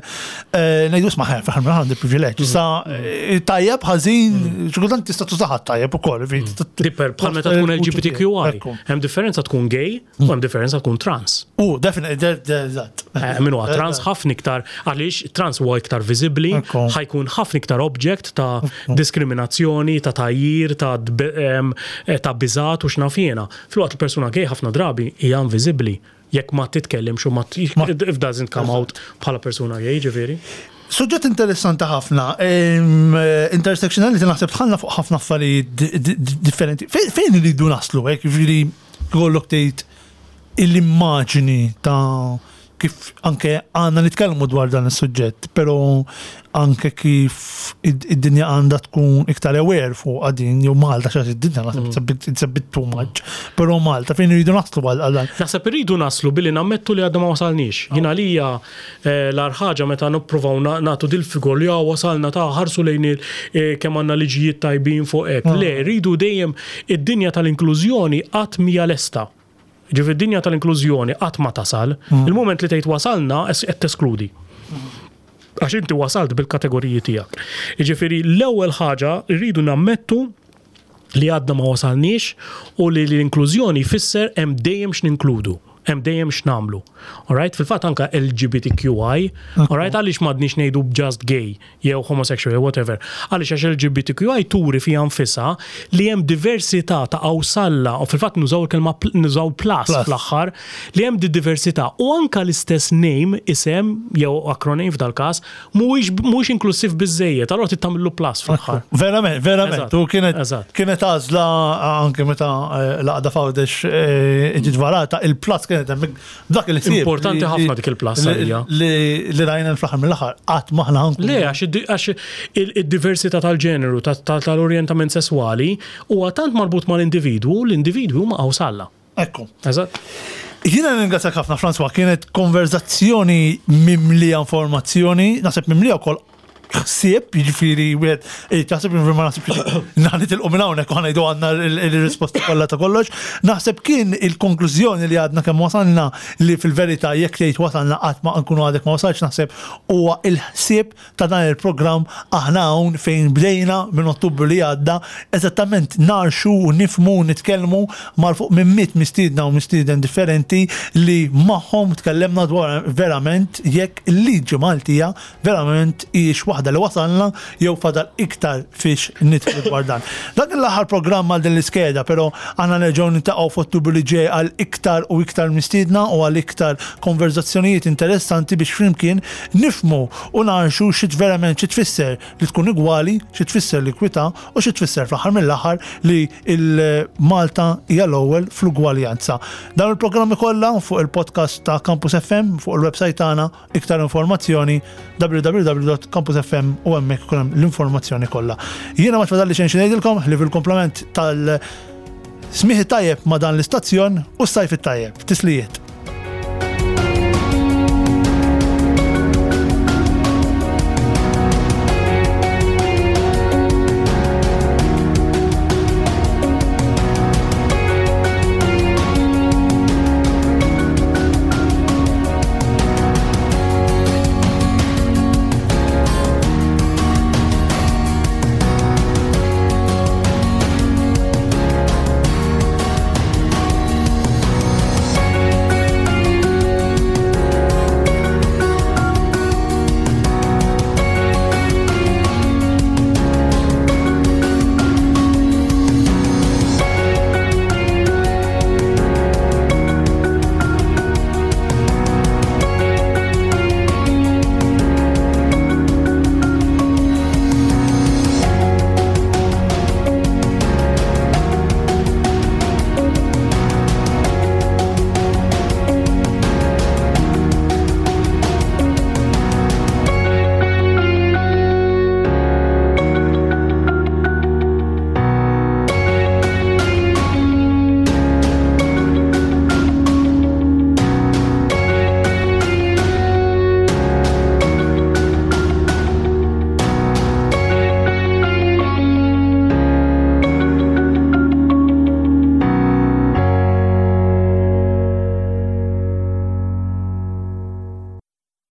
S1: eh, ngħidu isma' ħa għandi privileġġ. Mhm. Sa eh, tajjeb, ħażin, xi kultant tista' tużaha tajjeb ukoll.
S2: Dipper bħal meta tkun L G B T Q I. Hemm differenza tkun gay u hemm differenza tkun trans.
S1: U definitely, eżatt.
S2: Min huwa trans ħafna iktar, għaliex trans huwa iktar viżibbli, ħa jkun ħafna iktar object ta' diskriminazzjoni, ta' tgħajjir, ta' biżat u x'naf jiena. Filwaqt il-persuna gay ħafna drabi hija inviżibbli jekk ma titkellimx u ma if doesn't come out bħala persuna gay, ġifieri.
S1: Suġġett interessanti ħafna. Intersectionality naħseb tħallna fuq ħafna affarijiet differenti. Fejn iridu naslu, hekk ġifieri kollok tgħid l-immaġini ta' kif anke għandna nitkellmu dwar dan is-suġġett, però anke kif id-dinja għandha tkun iktar aware fuq din, jew Malta, xax id-dinja naħseb it's a bit too much, però Malta fejn iridu naslu għal dan?
S2: Naħseb irridu naslu billi nammettu li għadna ma wasalniex. Jien għalija eh, l-agħar ħaġa meta nippruvaw nagħtu dil-figur li wasalna ta' ħarsu lejn eh, kemm għandna liġijiet tajbin fuq hekk. Ah. Le, rridu dejjem, id-dinja tal-inklużjoni qatt mija lesta. Ġifieri id-dinja tal-inklużjoni qatt ma tasal. Mm. Il-moment li tgħid wasalna, qed teskludi. Għax inti wasalt bil-kategoriji tiegħek. Ġifieri l-ewwel ħaġa rridu nammettu li għadna ma wasalniex u li l-inklużjoni fisser hemm dejjem x'ninkludu, hemm dejjem x'nagħmlu. Alright, fil-fatt anka L G B T Q I, alright, għaliex m'għadniex ngħidu just gay jew homosexual jew whatever? Għaliex għax L G B T Q I turi fiha nfisha li hemm diversità ta' awsalla u fil-fatt nużaw il-kelma, nużaw plus fl-aħħar, li hemm di diversità u anka l-istess name, isem jew acronym f'dal-każ mhuwiex mhuwiex inklusiv biżejjed, allura trid tagħmillu plus fl-aħħar.
S1: Verament, verament. U kienet kienet għażla anke meta eh, l-għaqda f'Għawdex eh, ġiet varata, il-plus kienet hemmhekk dak il
S2: Importanti ħafna dik il-plus għalija.
S1: Li rajna fl-aħħar mill-aħħar qatt maħna ħankun.
S2: Le, għax id-diversità tal-ġeneru, tal-orjentament sesswali huwa tant marbut mal-individwu, l-individwu huma qawsalla.
S1: Ekku.
S2: Eżatt.
S1: Jiena ringrazzjak ħafna, François, kienet konverzazzjoni mimlija informazzjoni, naħseb mimlija wkoll ħsieb, jiġifieri wieħed eh, taħseb ma naħsibx nitilqu minn hawnhekk u ħa ngħidu għandna il-risposta kollha ta' kollox. Naħseb kien il-konklużjoni li għadna kemm wasalna li fil-verità jekk tgħid wasalna, qatt ma nkunu għadek ma wasalx, naħseb huwa il-ħsieb ta' dan il-programm Aħna Hawn, fejn bdejna minn Ottubru li għadda eżattament narxu u nifmu u nitkellmu mal fuq minn mitt mistiedna u mistieden differenti li magħhom tkellemna dwar verament jekk il-liġi Maltija verament hijiex waħda li wasalna jew fadal iktar fiex nidħlu dwar dan. Dak l-aħħar programm għal din l-iskeda, però għandna nerġgħu niltaqgħu f'Ottubru li ġej għal iktar u iktar mistiedna u għal iktar konverzazzjonijiet interessanti biex flimkien nifmu u narxu xi verament xi tfisser li tkun igwali, xi tfisser l-ekwità u xi tfisser fl-aħħar mill-aħħar li il-Malta hija l-ewwel fl-ugwaljanza. Dan il-programmi kollha fuq il-podcast ta' Campus F M fuq il-website tagħna, iktar informazzjoni W W W dot campus F M u hemmhekk ikun hemm l-informazzjoni kollha. Jiena ma tfadalli xejn xi ngħidilkom li fil-komplement tal-smieħ tajjeb ma' dan l-istazzjon u s-sajf it-tajjeb. Tislijiet.